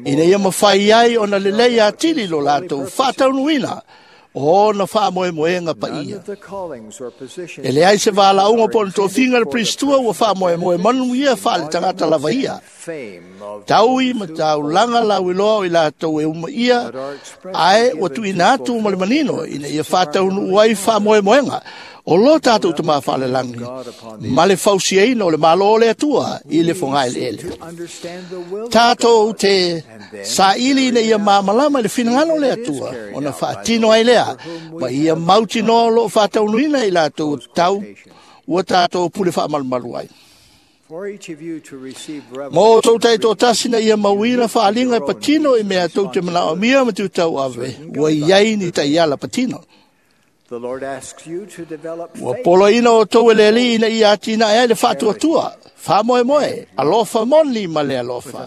ina ia mafai ai ona lelei atili lo latou faataunuuina o ona faamoemoega paia. E leai se valaauga po o ni tofiga le Peristua ua faamoemoe manuia faaletagata lava ia. Taui ma taulaga lauiloa o i latou e umaia ae ua tuuina atu ma le manino ina ia faataunuu ai faamoemoega o lo tatou Tamā Faalelagi ma le fausiaina o le Malo o le Atua i le fogaeleele. Tatou te saili ina ia malamalama i le finagalo o le Atua ona faatino ai lea ma ia mautinoa o loo faataunuuina i latou tau ua tatou pule faamalumalu ai. Mo outou taitoatasi na ia mauina faaliga e patino i mea tou te manaomia ma tutauave, ua iai ni taiala patino. Ua poloaiina outou e le Alii ina ia atinae ai le faatuatua, faamoemoe, alofa moni ma le alofa,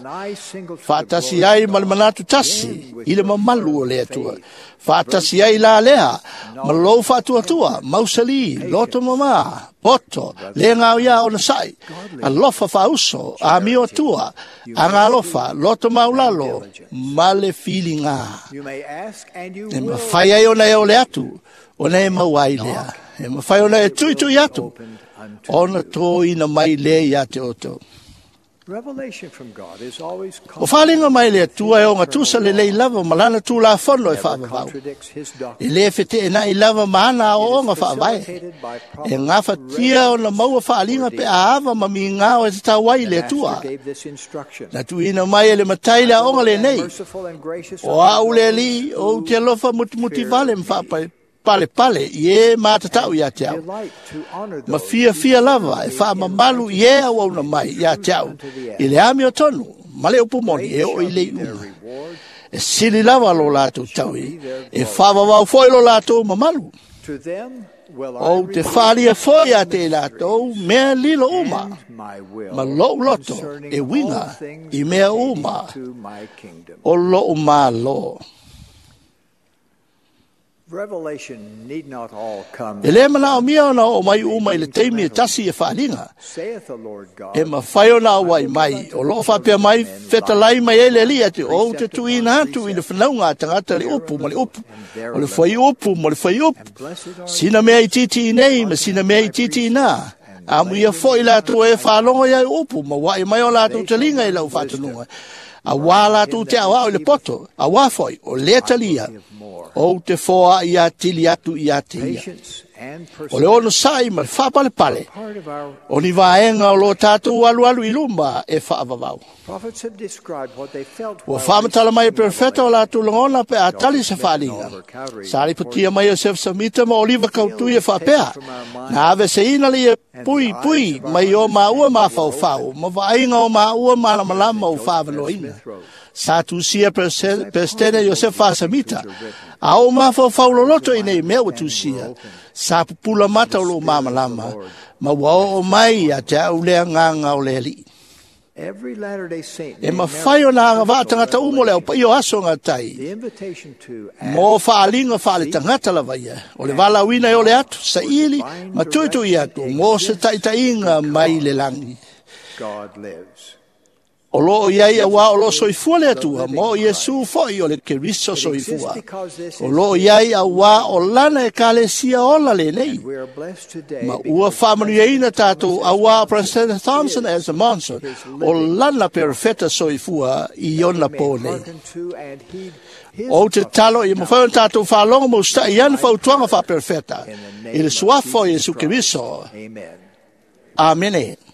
faatasi ai ma le manatu tasi i le mamalu o le Atua. Faatasi ai la lea ma lou faatuatua, mausali, loto mamā, poto, le gaoia ona sa'i, alofa faauso, amio atua, agalofa, loto maulalo, ma le filiga. E mafai ai ona e ole atu, ona e maua ai lea. E mafai ona e tuitui atu, ona toina mai le ia te outou. O faaliga mai le Atua e ogatusa lelei lava ma lana tulafono e faavavau. E lē feteenaʻi lava ma ana aoaoga faavae. E gafatia ona maua faaliga pe a ava ma migao e tatau ai le Atua. Na tuuina mai e le matai le aoga lenei. O a'u le Alii ou te alofa mutimutivale ma faapalepale i e matatau ia te au. Ma fiafia lava e faamamalu i e auauna mai ia te au i le amiotonu ma le upu moni e oo i le iuga. E sili lava lo latou taui, e faavavau foi lo latou mamalu. Ou te faalia foi ia te i latou mea lilo uma, ma lou loto e uiga i mea uma o lou Malo. E lē manaomia ona oo mai uma i le taimi e tasi e faaliga. E mafai ona auai mai o loo faapea mai fetalai mai ai le Alii ate ou te tuuina atu i le fanauga a tagata le upu ma le upu, o le fuaiupu ma le fuaiupu, sina mea itiiti i nei ma sina mea itiiti inā. Amuia foi latou e faalogo ia i upu ma uaʻi mai o latou taliga i lau faatonuga. Auā latou te aoao i le poto, auā foi o lea talia, ou te foaʻi atili atu ia te ia. O le onosaʻi ma le faapalepale, o ni vaega o lo tatou alualu i luma e faavavau. Ua faamatala mai e perofeta o latou lagona pe a tali se faaliga. Sa lipotia mai Iosefa Samita ma Oliva Kautui e faapea, na aveseina le ia pui pui mai o maua mafaufau ma vaaiga o maua malamalama o faavanoaina. Sa tusia Peresetene Iosefa Samita, a o mafaufau loloto i nei mea ua tusia, sa pupula mata o lou malamalama, ma ua oo mai ia te au le agaga o le Alii. E mafai ona agavaa tagata uma o le aupaia o aso gatai mo faaaliga faaletagata lava ia. O le valaauina e ole atu, saili ma tuitui atu mo se taitaiga mai le lagi. O loo iai auā o loo soifua le Atua, ma o Iesu fo'i o le Keriso soifua. O loo iai auā o lana Ekalesia ola lenei. Ma ua faamanuiaina tatou auā o President Thompson S. Monson, o lana perofeta soifua i ona pō nei. Ou te tatalo ia mafai ona tatou faalogo ma usitai i ana fautuaga faaperofeta i le suafa o Iesu Keriso. Amene.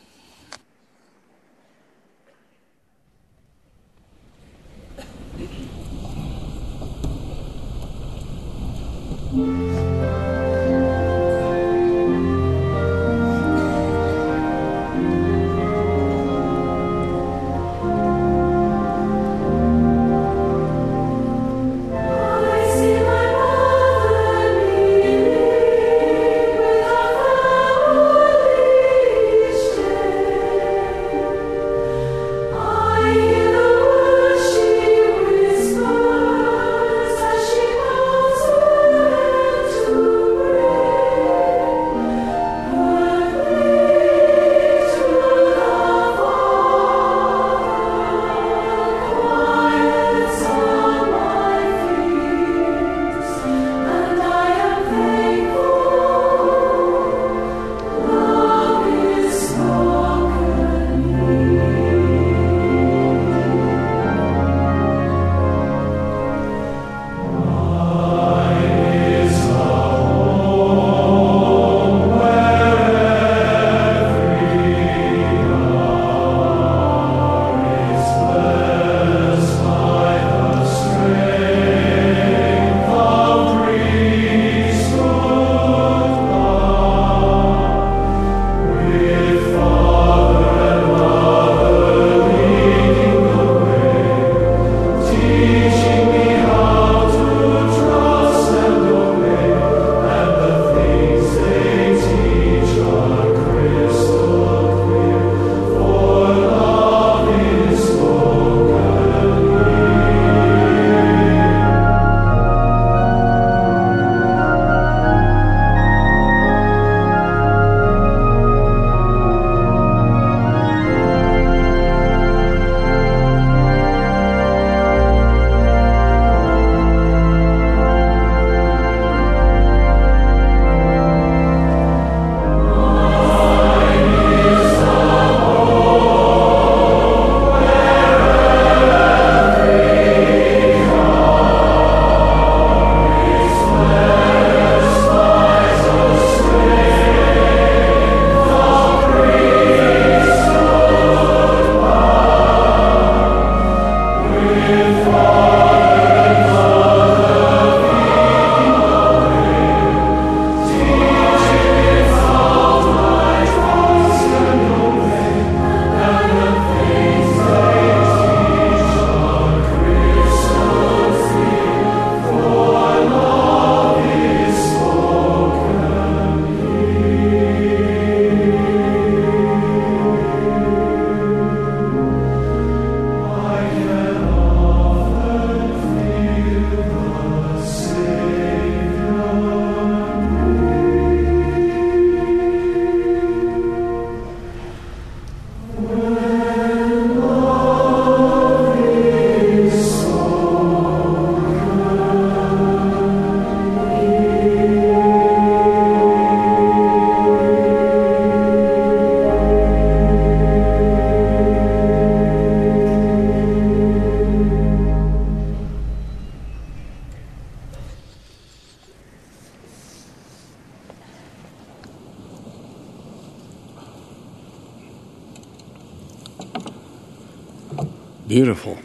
Beautiful.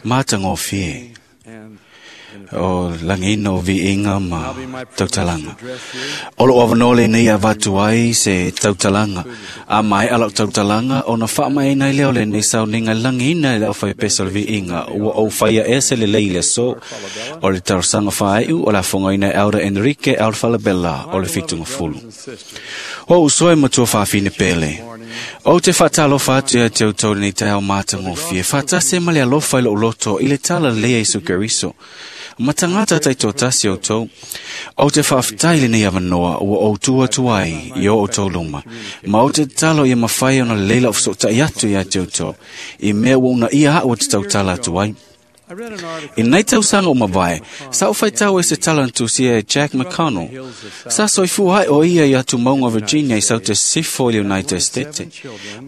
Matagofie. O lagiina o viiga ma tautalaga. O loo avanoa lenei avatu ai se tautalaga. A maea lau tautalaga ona faamaeaina ai lea o lenei sauniga i lagiina e le aufaipesa o le viiga ua ou faia ea se lelei i le aso. O le talosaga faaiu o le afogaina e Elder Enrique Alfalabella o le 70. O uso e matua faafine pele. Ou te faatalofa atu ia te outou lenei taeao matagofie, faatasi ai ma le alofa i lou loto i le tala lelei a Iesu Keriso. Ma tagata taitoatasi outou. Ou te faafetai lenei avanoa ua ou tu atu ai i o outou luma. Ma ou te tatalo ia mafai ona lelei lau fesootai atu ia te outou, i mea ua uunaia au e te tautala atu ai. I lenei tausaga ua mavae, sa ou faitau ai se tala na tusia e Jack McConnell. Sa soifua ai o ia i atumauga o Virginia i Saute Sisifo i le United States.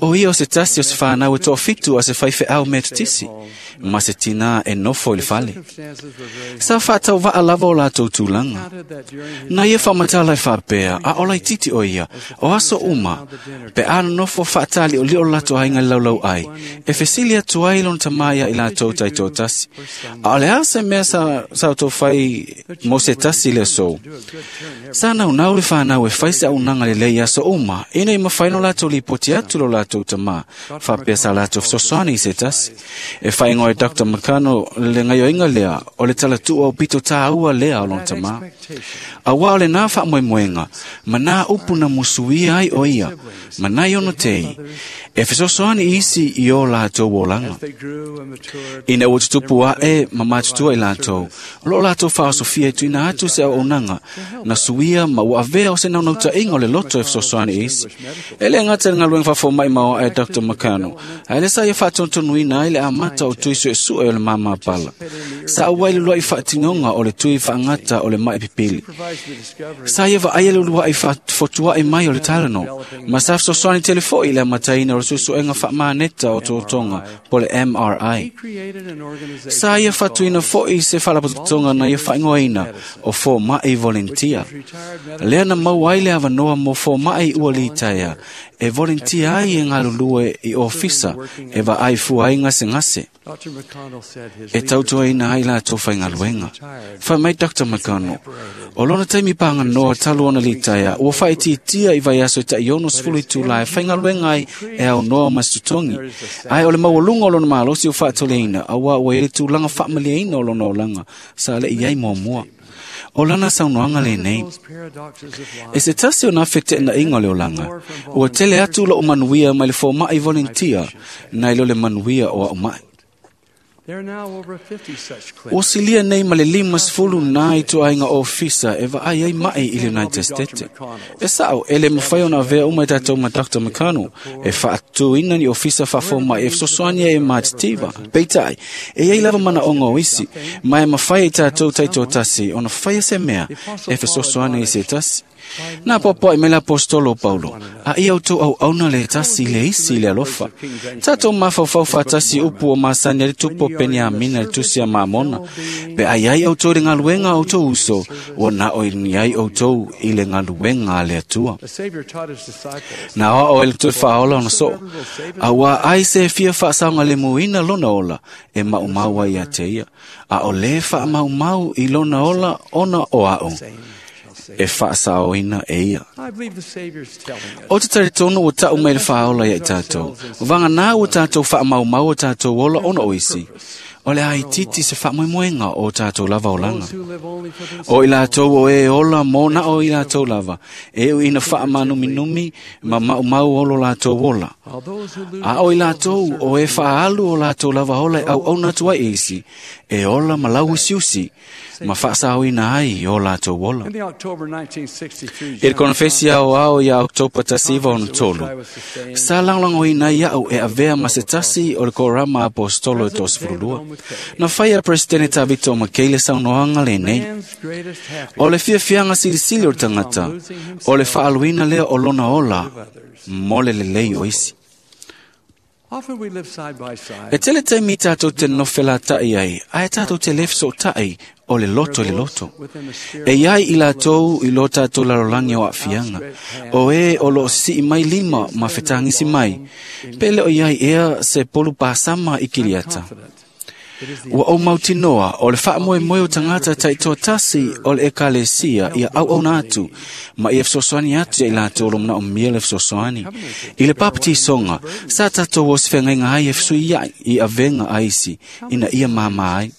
O ia o se tasi o se whanau e toafitu a se faifeau Metotisi, ma se tinā e nofo i le fale. Sa whaatauvaa lava o latou tulaga. Na ia whaamatala e whaapea, a o laititi o ia, o aso uma, pe a nofo whaataliolio latou aiga i laulau ai, e fesili atu ai lona tama ia i latou taitoatasi. A o le a se mea sa outou fai mo se tasi i le aso. Sa naunau le whanau e fai se auaunaga lelei i aso uma, ina ia mafai ona latou lipoti atu lo latou tama, faapea sa latou fesoasoani i se tasi. E faaigoa e Dr. McConnell le gaioiga lea o le talatuu aupito tāua lea o lona tama. Auā o lenā faamoemoega, ma nā upu na musuia ai o ia, ma nai ona tei, e fesoasoani isi i o latou olaga. Ina ua tutupu ae ma matutua i latou, o loo latou faaosofia e tuuina atu se auaunaga, na suia ma ua avea o se naunautaiga o le loto e fesoasoani i isi. E le gata i le galuega faafoma'i maoae a Dr. McConnell, ae le sa ia faatonutonuina ai le amata o tui suesue o le mamapala. Sa auai le uluai faatinoga o le tui faagata o le mai pipili. Sa ia vaaia le uluai fotuai mai o le Tylenol, ma sa fesoasoani tele foi i le amataina o le suesuega faamaneta o totoga po le MRI. Sa ia faatuina foi se faalapotopotoga na ia faaigoaina o Foma'i Volunteer. Lea na maua ai le avanoa mo foma'i ua litaea e volunteer ai e galulue i ofisa e vaai fua ai gasegase. E tautuaina ai latou faigaluega. Fai mai Dr. McConnell, o lona taimi paganoa talu ona litaea, ua faaitiitia i vaiaso e tai 60 itulā e faigaluega ai e aunoa ma se totogi. Ae o le maualuga o lona malosi ua faatoleina, auā ua i ai le tulaga faamaliaina o lona olaga sa le'i ai muamua. O lana saunoaga lenei. E se tasi o nā feteenaiga o le olaga, ua tele atu lou manuia mai le foma'i volunteer nai lo le manuia o au mai. Ua silia nei ma le 50 nā i tuaiga ofisa e vaai ai mai i le United States. E sao, e le mafai ona avea uma e tatou ma Dr. McConnell e faatuina ni ofisa faafoma'i e fesoasoani ai e matitiva. Peitai, e iai lava manaoga o isi, ma e mafai ai tatou taitoatasi ona faia se mea e fesoasoani i se tasi. Na poapoa'i mai le apostolo o Paulo, a ia outou auauna le tasi i le isi i le alofa. Tatou mafaufau faatasi upu o masani ai le tupu o Peniamina i le tusi a Mamona. Pe a iai outou i le galuega a outou uso, ua na o iai outou i le galuega a le Atua. Na aoao e le toe faaola ona soo, auā ai se e fia faasaogalemuina lona ola e maumau ai ia te ia, a o lē faamaumau i lona ola ona o a'u e faasaoina e ia. O te talitonu ua ta'u mai le faaola ia i tatou, vaganā ua tatou faamaumau o tatou ola ona o isi, o le aititi se faamoemoega o tatou lava olaga. O i latou o e ola mo na o i latou lava, e ui ina faamanuminumi ma maumau o lo latou ola. A o i latou o e faaalu o latou lava ola e auauna atu ai i isi, e ola ma lauusiusi, ma faasaoina ai o latou ola. I le konofesi aoao ia Oketopa 1963, sa lagolagoina ai a'u e avea ma se tasi o le korama apostolo e 32. Na fai a Presidente Tavito Makei le saunoaga lenei. O le fiafiaga silisili o le tagata, o le faaluina lea o lona ola mo le lelei o isi. E tele taimi tatou te nofe lata'i ai, ae tatou te le fesoota'i o le loto i le loto. E iai i latou i lo tatou lalolagi o aafiaga, o e o loo sisii mai lima ma fetagisi mai, pe le o iai ea se polu pasama i Kiliata. Ua ou mautinoa o le faamoemoe o tagata taitoatasi o le ekalesia ia auauna atu ma ia fesoasoani atu ia i latou o lo manaomia le fesoasoani. I le papatisoga, sa tatou o se feagaiga ai e fesuiai i avega a isi ina ia māmā ai.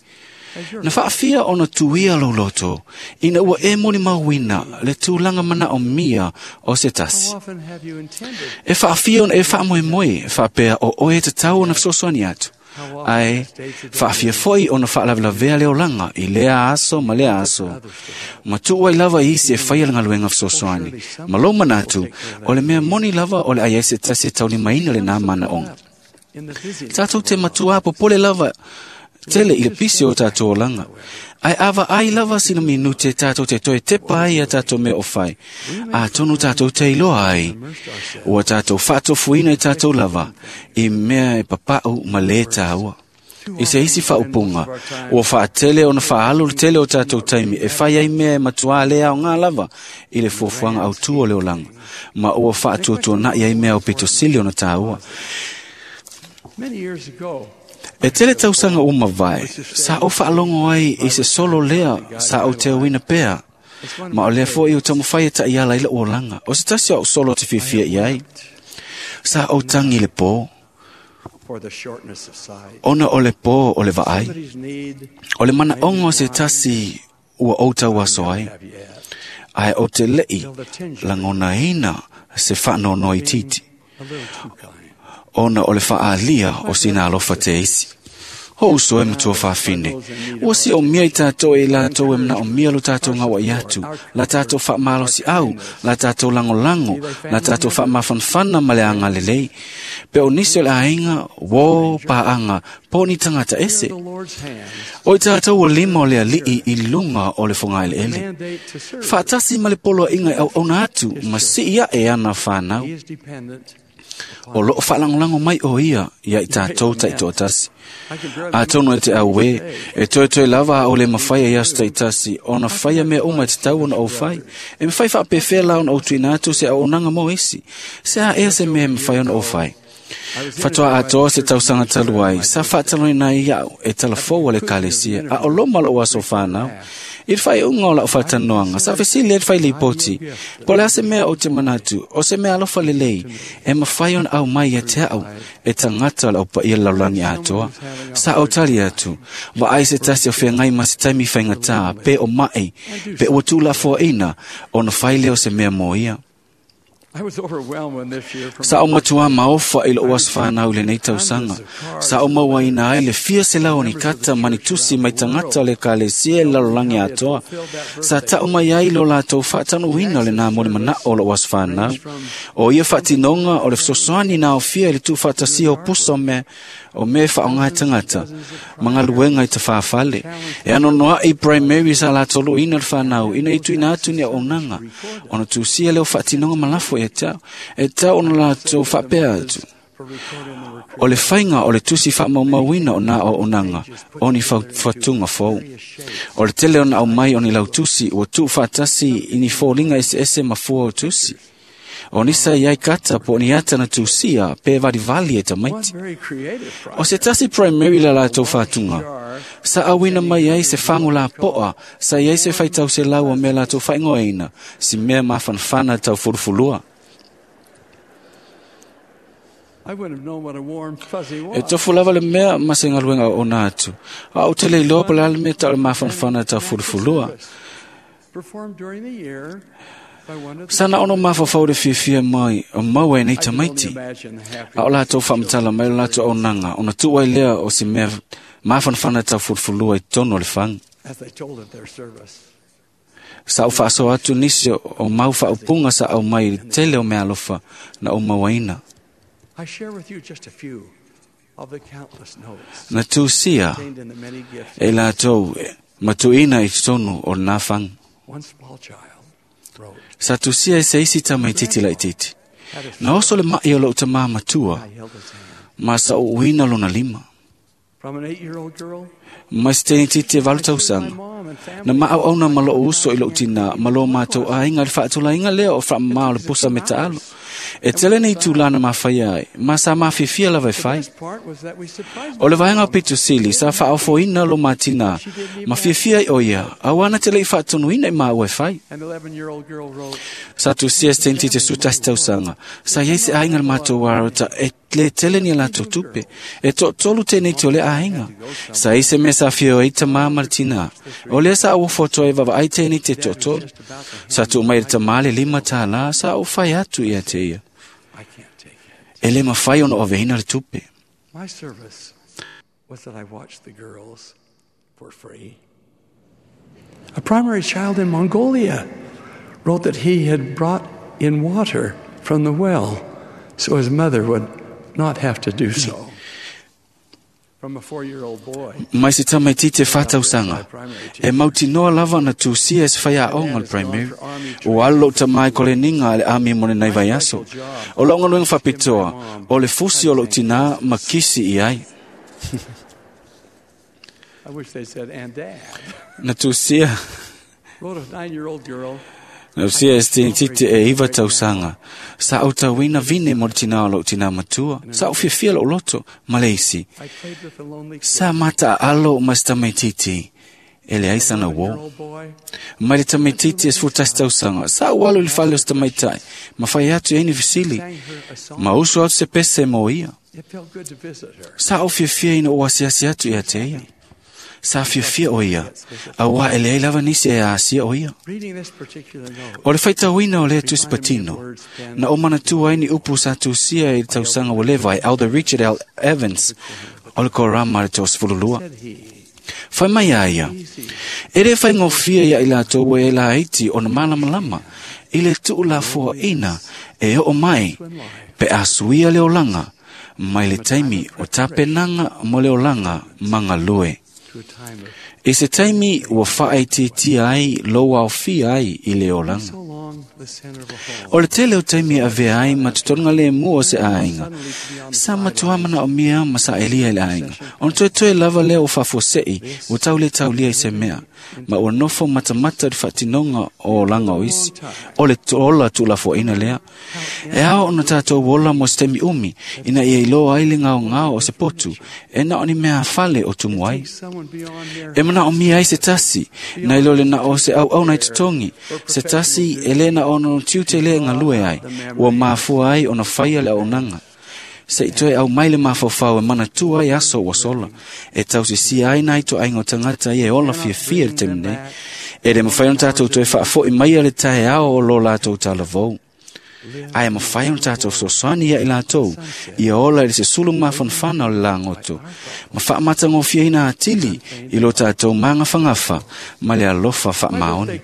Na faafia ona tuia lou loto, ina ua e molimauina le tulaga manaomia o se tasi. E faafia ona e faamoemoe faapea o oe e tatau ona fesoasoani atu, ae faafia foi ona faalavelavea le olaga i lea aso ma lea aso. Ma tuu ai lava i isi e faia le galuega fesoasoani. Ma lou manatu, o le mea moni lava o le a i ai se tasi e taulimaina lenā manaoga. Tatou te matuā popole lava tele i le pisi o tatou olaga. Ae avaai lava sina minute tatou te toe tepa ai ia tatou mea o fai. Atonu tatou te iloa ai. Ua tatou faatofuina i tatou lava i mea e papau ma lē tāua. I se isi faaupuga, ua faatele ona faaalu le tele o tatou taimi e fai ai mea e matuā le aogā lava i le fuafuaga autū o le olaga, ma ua faatuatuana'i ai mea aupito sili ona tāua. E tele tausaga ua mavae, sa ou faalogo ai i se solo lea sa ou teauina pea, ma o lea foi o taumafai e ta'iala ai la'u olaga. O se tasi o a'u solo te fiafia i ai. Sa ou tagi i le pō, ona o le pō o le vaai. O le manaʻoga o se tasi ua ou tauaso ai, ae ou te le'i lagonaina se faanoanoa itiiti, ona o le faaalia o sina alofa te isi. O uso e matua faafine, ua si o mia i tātou e latou e manaomia lo tātou ngaua'i atu, la tātou faamalosi'au, la tātou lagolago, la tātou faamafanafana ma le agalelei. Pe o nisi o le aiga, uō, paaga, po o ni tagata ese. O i tātou ua lima o le ali'i i luga o le fogaeleele. Faatasi ma le poloaiga e auauna atu ma sii aʻe ana whanau. O loo faalagolago mai o ia ia i tātou taitoatasi. Atonu e te auē, e toetoe lava a o le mafai ai aso taitasi, ona faia mea uma e tatau ona ou fai. E mafai faapefea la ona ou tuuina atu se auaunaga mo isi. Se a ea se mea e mafai ona ou fai. Fatoa atoa se tausaga talu ai, sa faataloina ai ia'u e talafou a le ekalesia, a o loma lo'u aso fanau. I le faaiuga o la'u faatanoaga, sa fesili ai le failipoti, po o le a se mea ou te manatu, o se mea alofa lelei, e mafai ona aumai ia te a'u, e tagata o le aupaia le lalolagi atoa. Sa ou tali atu, vaai se tasi o feagai ma se taimi faigatā, pe o ma'i, pe ua tuulafoaʻina, ona fai lea o se mea mo ia. Sa ou matuā maofa i lo'u aso fanau i lenei tausaga. Sa ou mauaina ai le fia selau o ni kata ma ni tusi mai tagata o le ekalesia i le lalolagi atoa. Sa ta'u mai ai lo latou faatanuuina o lenā mo le manaʻo o lo'u aso fanau. O ia faatinoga o le fesoasoani na aofia i le tuufaatasia o pusa o mea o mea e faaaogā e tagata ma galuega i tafāfale. E anoanoaʻi primary sa latou luʻuina le fanau ina ia tuuina atu ni auaunaga ona tusia lea o faatinoga ma lafo ia te au. E tau ona latou faapea atu. O le faiga o le tusi faamaumauina o nā auaunaga o ni fatuga fou. O le tele ona aumai o ni lautusi ua tuufaatasi i ni foliga eseese ma fua o tusi. O nisa i ai kata po o ni ata na tusia pe valivali e tamaiti. O se tasi primary la latou fatuga. Sa auina mai ai se fagu lapoa, sa i ai se faitau selau o mea latou faaigoaina, si mea mafanafana taufulufulua. E tofu lava le mea ma se galuega auauna atu. A ou te le iloa po o le a le mea tau o le mafanafana taufulufulua. Sa na ono mafaufau le fiafia mai o maua e nei tamaiti. A o latou faamatala mai o latou auaunaga ona tuu ai lea o si mea mafanafana taufulufulua i totonu o le faga. Sa ou faasoa atu nisi o mau faaupuga sa aumai i le tele o mea alofa na ou mauaina. Na tusia e latou ma tuuina i totonu o lenā faga. Sa tusia e se isi tamaititi laititi. Na oso le ma'i o lo'u tamā matua, ma sa uuina lona lima. Mai se teinititi e 8 tausaga, Na maauauna ma lou uso i lou tinā, ma lo mātou aiga le faatulaiga lea o faamamā o le pusa me taalo. E tele nei tūlā na mafaia ai, ma sa mafiafia lava e fai. O le vaega o pitusili sa faaofoina lo matinā, ma fiafia ai o ia, auana te lei faatonuina i maua e fai. Sa tusia se tenti te sutasi tausaga, sa iai se aiga le matou arota e le tele ni a latou tupe, e toatolu tēnei te o le aiga. Sa i se mea sa fio ai tamā ma le tinā. O lea sa auofo atu ai vavaai tēnei te toatolu. Sa tuu mai le tamā le $5, sa ou fai atu ia te ia. E le mawhai ona o aveina le tupe. My service was that I watched the girls for free. A primary child in Mongolia wrote that he had brought in water from the well so his mother would not have to do so. From a 4-year-old boy. Mai se tamaiti te whātausanga. E mautinoa lava na tūsia e se whai aonga le primary. O alo lou tamai ko le ninga a le ami mo le nai vai aso. O lau ngaluenga whapitoa, o le fusi o lou tinā ma kisi i ai. I wish they said, and dad. Na tūsia. Wrote a 9-year-old girl. Na usia e titi e iwa tausaga. Sa au tauina vine mo le tinā o lou tinā matua. Sa au fiafia lou loto, ma le isi. Sa mata alo ma se tamaititi. E leai sana uō. Mai le tamaititi e 11 tausaga. Sa au alo i le fale o se tamaitai. Ma fai atu e ni fesili. Ma uso atu se pese mo ia. Sa au fiafia ina o asiasi atu ia te ia. Sa fiafia o ia, auā e leai lava nisi e asia o ia. O le faitauina o lea tusi patino, na o manatua ai ni upu sa tusia i le tausaga ua leva ai Elder Richard L. Evans o le korama le 32. Fai mai a ia, e le whaingofia ia i lātou e la iti o na malamalama i le tuu lafoa ina e o mai pe asuia le olanga mai le taimi o tapenanga mo le olanga mangalue. I se taimi ua whaaititia ai lou aofia ai i le olanga. O le tele o taimi a vea ai ma tutonga le mua se aiga. Sa matua mana o mia ma sa elia i le aiga. Ona toe toe lava lea o faafuasei ua tau le taulia i se mea. Ma ua nofo matamata le faatinonga o olanga o isi. O le ola tuulafoaina lea. E ao ona tātou ola mo se taimi umi ina ia iloa ai le ngaongao o se potu e na o ni mea fale o tumu ai. E mana o mia ai se tasi, na ilo le na o se au au na i totongi. Se tasi e le na ono tiute le ngalue ai, ua mafua ai ona whaia le aonanga. Se i toe au mai le mafaufau e manatua ai aso ua sola. E tausisia ai nai to ainga o tangata i e ola fiafia le taimi nei. E le mawhai ona tātou toe whaafoi mai a le tae ao o lo lātou talavou. Ae mawhai ona tātou fesoasoani ia i lātou, ia ola i le se sulu mafanafana o le lagoto. Ma faamatagofieina atili i lo tātou magafagafa ma le alofa faamaoni.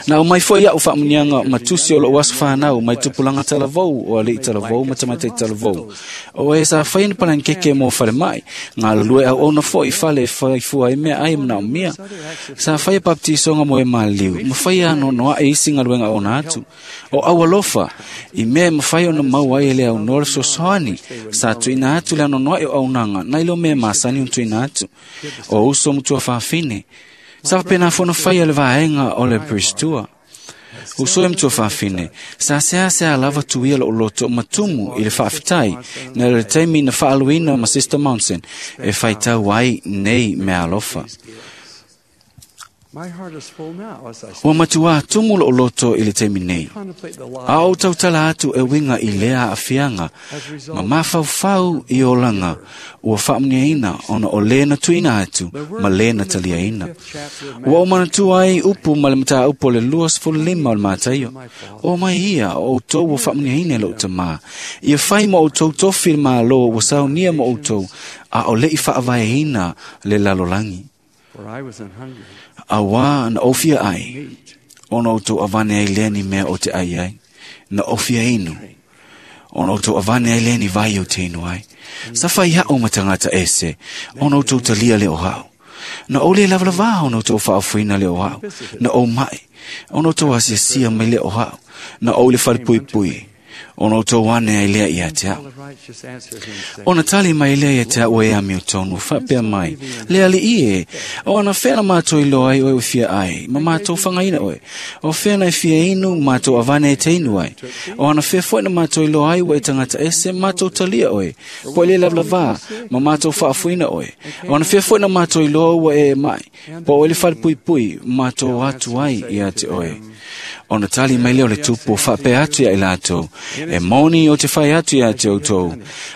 Na o mai foi au faamuniaga matusi o lou aso fanau mai tupulaga talavou o alii talavou ma tamaitai talavou. O e sa faia ni palanikeke mo falemai, galulue auauna foi i fale e faifua ai meaai e manaomia. Sa faia papatisoga mo e maliliu, ma faia anoanoaʻe isi galuega ona atu. O au alofa, i mea e mafai ona mau ai e le aunoa le fesoasoani, sa tuuina atu le anoanoaʻe o auaunaga nai lo mea masani ona tuuina atu. O uso ma tuafafine, sa faapena foi ona faia le vaega o le Pristua. Uso e matuafafine, sa seasea lava tuia lou loto ma tumu i le faafetai na le taimi na faaluina ma Sister Monson e faitau ai nei mea alofa. Ua matuā tumu lou loto i le taimi nei. A o tautala atu e winga i lea aafiaga ma mafaufau i olaga ua faamuniaina ona o lē na tuuina atu ma lē na taliaina. Ua ou manatua ai upu ma le matāupu o le 25 o le Mataio. O mai ia o outou ua faamuniaina e lou tamā. Ia fai ma outou tofi le mālō ua saunia ma outou a o leʻi faavaeina le lalolagi. Auā na ofia ai, ona outou avane ai lea ni mea o te ai ai, na ofia inu, ona outou avane ai lea ni vai o te inu ai. Sa fai hao ma tagata ese, ona outou talia le o hao. Na o le lavalavā ona outou faaofoina le o hao, na o mai, ona outou asiasia mai le o hao, na o le falepuipui. Ona outou ane ai lea ia te a'u. Ona tali mai lea ia te a'u e amiotonu, faapea mai, Le Alii e, o anafea na matou iloa ai oe ua fia ai, ma matou fagaina oe? O fea na e fia inu, matou avane e te inu ai? O anafea foi na matou iloa ai ua e tagata ese, matou talia oe, po e lē lavalavā, ma matou faafoina oe? O anafea foi na matou iloa ua e ma'i, po o i le falepuipui, matou atu ai ia te oe? Ona tali mai lea o le tupu faapea atu ia i latou, E moni o te fai atu ia te outou,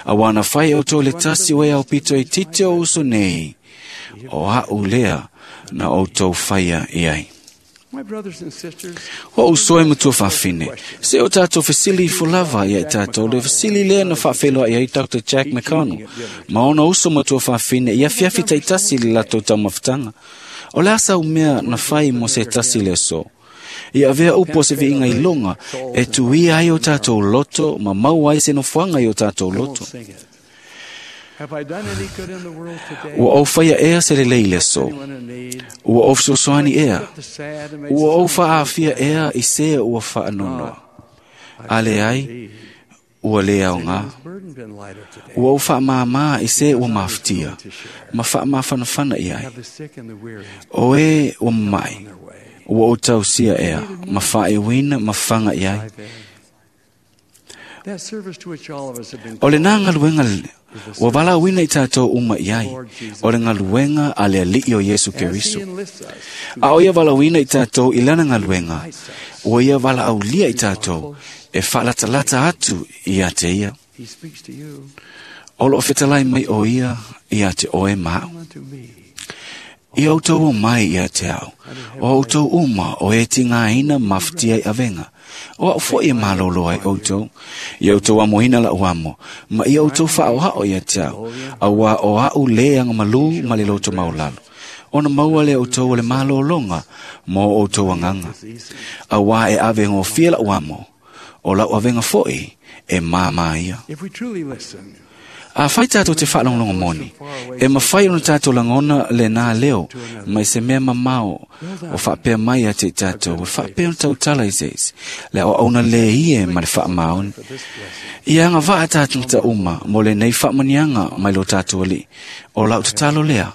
auā na fai e outou le tasi o e aupito itiiti o uso nei, o a'u lea na outou faia i ai. O uso e matua faafine, se o tatou fesili ifo lava ia i tatou le fesili lea na faafeiloai ai Dr. Jack McConnell, ma ona uso matua faafine i afiafi taitasi i le latou taumafataga. O le a sau mea na fai mo se tasi le aso? Ia avea upu o se viiga i luga, e tuia ai o tatou loto, ma maua ai se nofoaga i o tatou loto. Ua ou faia ea se lelei i le aso? Ua ou fesoasoani ea? Ua ou faaafia ea i se ua faanoanoa? A leai, ua lē aogā. Ua ou faamāmā i se ua mafatia, ma faamafanafana i ai. O e ua mama'i, ua ou tausia ea, ma faaiuina ma faga i ai. O lenā galuega ua valaauina i tatou uma i ai, o le galuega a le Alii o Iesu Keriso. A o ia valaauina i tatou i lana galuega, ua ia valaaulia i tatou e faalatalata atu ia te ia. O loo fetalai mai o ia ia te oe ma a'u. Ia outou o mai ia te a'u, o outou uma o e tigāina mafatia i avega, o a'u fo'i e malōlō ai outou. Ia outou amoina la'u amo, ma ia outou faaoa'o ia te a'u, auā o a'u lē agamalū ma le loto maulalo. Ona maua lea outou o le malōlōga mo outou agaga. Auā e ave gofie la'u amo, o la'u avega fo'i e māmā ia. Afai tatou te faalogologo moni, e mafai ona tatou lagona lenā leo mai se mea mamao o faapea mai ia te i tatou, e faapea ona tautala i se isi, le aoauna lē ia ma le faamaoni. Ia agavaa tatou uma mo lenei faamaniaga mai lo tatou Alii. O lau tatalo lea,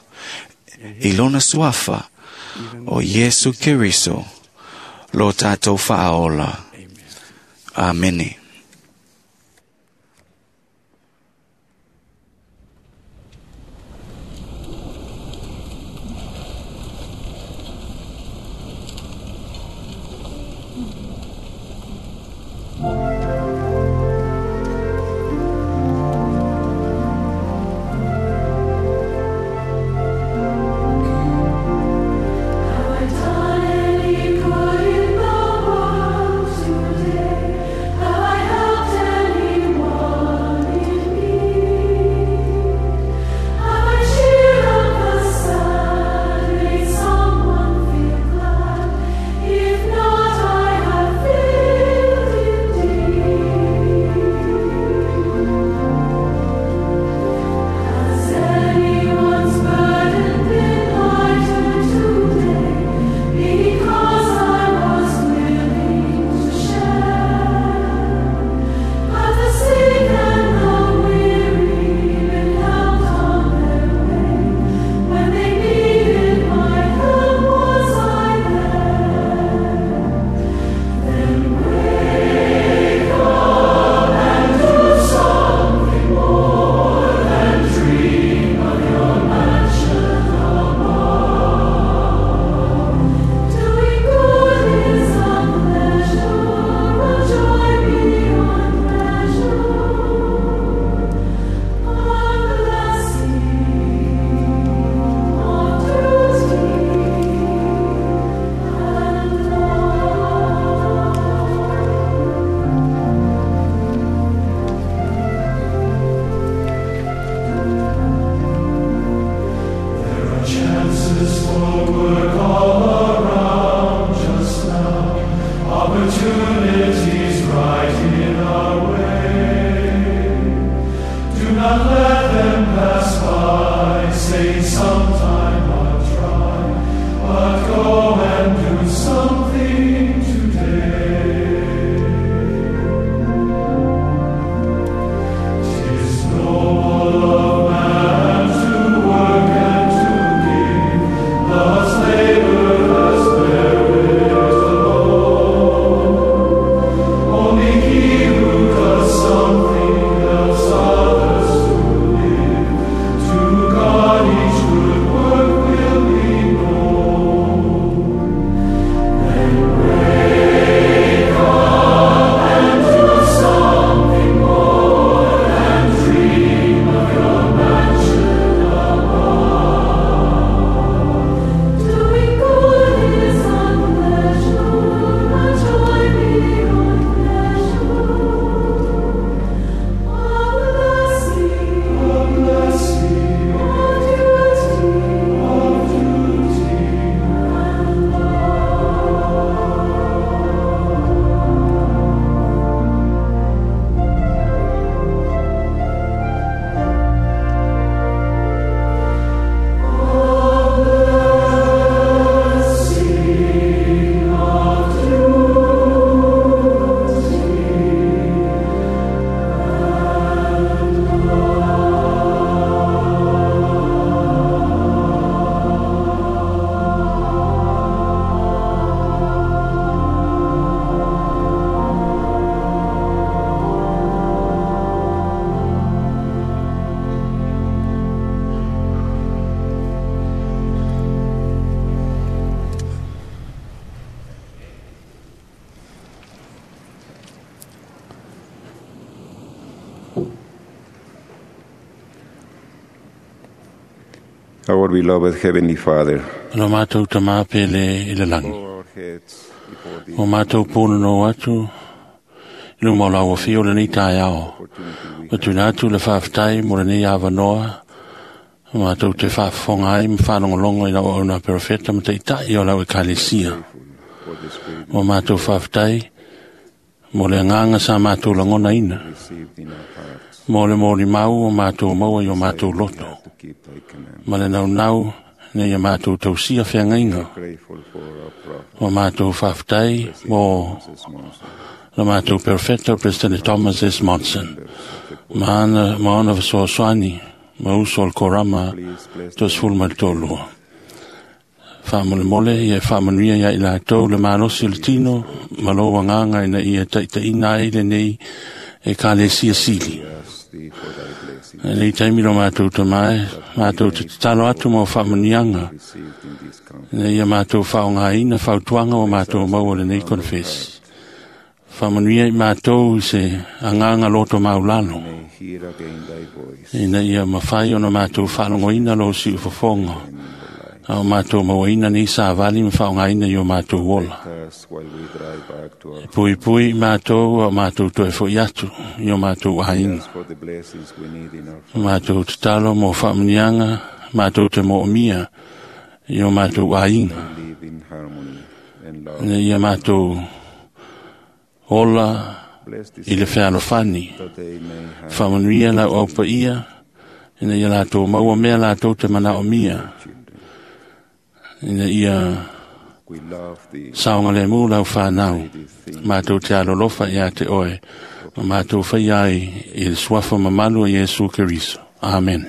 i lona suafa o Iesu Keriso, lo tatou faaola. Amene. Done any good in the world today? Have I Our beloved Heavenly Father, Lo mātou tamā pele i le langi. O mātou pōno no atu, i luma o lau awhio le nei tai ao. O tuna atu le whaaftai mo le nei awanoa, o mātou te whaafonga ai ma whaalongolongo i lau auna perofeta ma te itai o lau ekalesia. O mātou whaaftai mo le anganga sa mātou langona ina. Mo le mōri mau o mātou maua i o mātou loto. Ma le nau nau nei a mātou tausia wheangainga. O mātou whaaftai mo la mātou perfecto President Thomas S. Monson. Ma ana, ma ona wasoasoani, ma uso al korama, tos fulma tolua. Whaamole ia whaamanuia ia i lātou le malosi o le tino, ma lo wanganga ina ia taitaina ai le nei e ka le sia sili. E nei taimi lo mātou te mai, mātou te talo atu mo whaamanuianga, ina ia mātou whaongaina, whautuanga o mātou maua le nei confess. Whaamanuia i mātou i se anganga loto maulalo. Ina ia mawhai ona mātou whaalongoina lo si ufafonga. A o mātou mauaina ni sa vali ma whaongaina i o mātou ola. Pui pui mātou o mātou toe fo i atu i o mātou ahinga. Mātou te talo mō whaamunianga, mātou te mō omia i o mātou ahinga. Ina ia mātou ola i le whealofani. Whaamanuia lau au paia, ina ia lātou maua mea lātou te mana o mia. Ina ia saonga le mū lau whānau, mātou te alolofa ia te oe, ma mātou whai ai i le suafa mamalu a Iesu Keriso. Amen.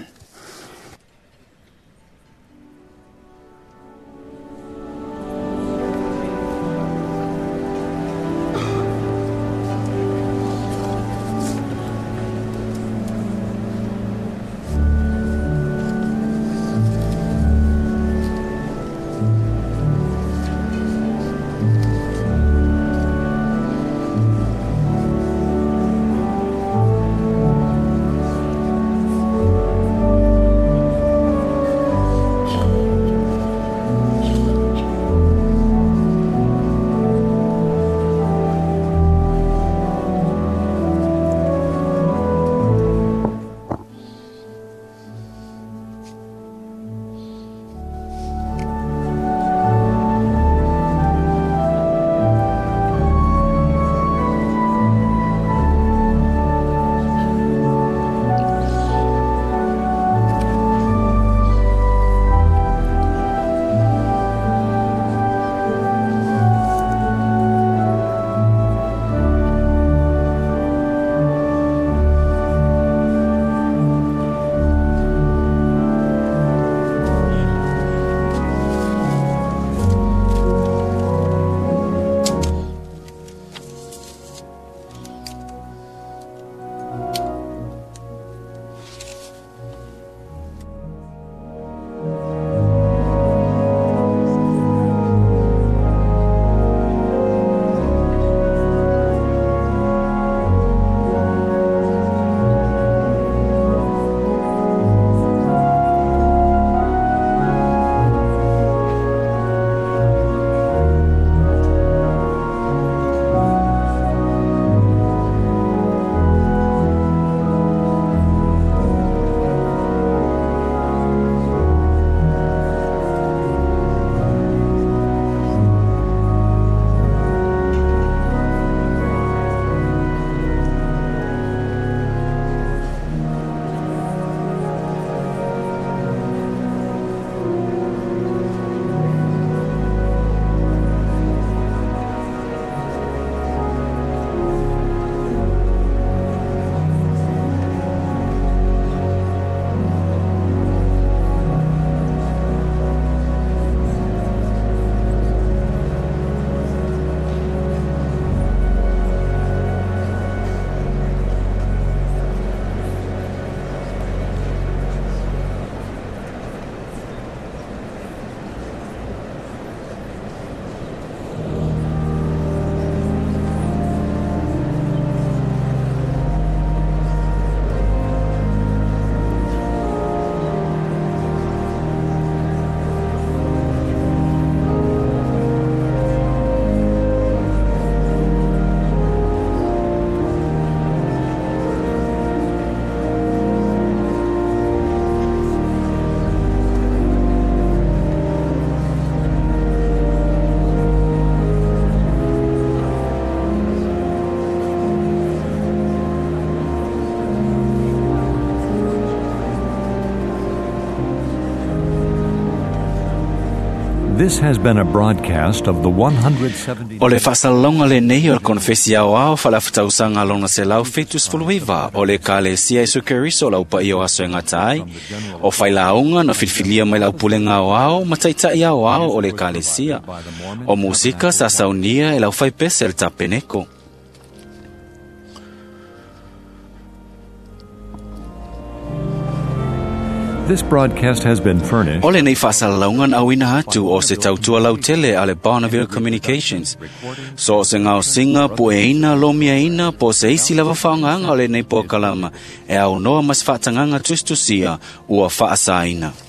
This has been a broadcast of the 170. O le faasalalauga lenei o le konofesi aoao faaleafotausaga lona 179 o le Ekalesia Iesu Keriso o le aupaia o aso e gata ai, o failauga na filifilia mai le aupulega aoao ma taita'i aoao o le Ekalesia. O musika sa saunia e le aufaipese le tapeneko. This broadcast has been furnished. O lenei faasalalauga na auina atu o se tautua lautele a le Bonneville Communications. So o se gaosiga pueina lomiaina po o se isi lava faaaogaga o lenei polokalama e aunoa ma se faatagaga tusitusia ua faasaina.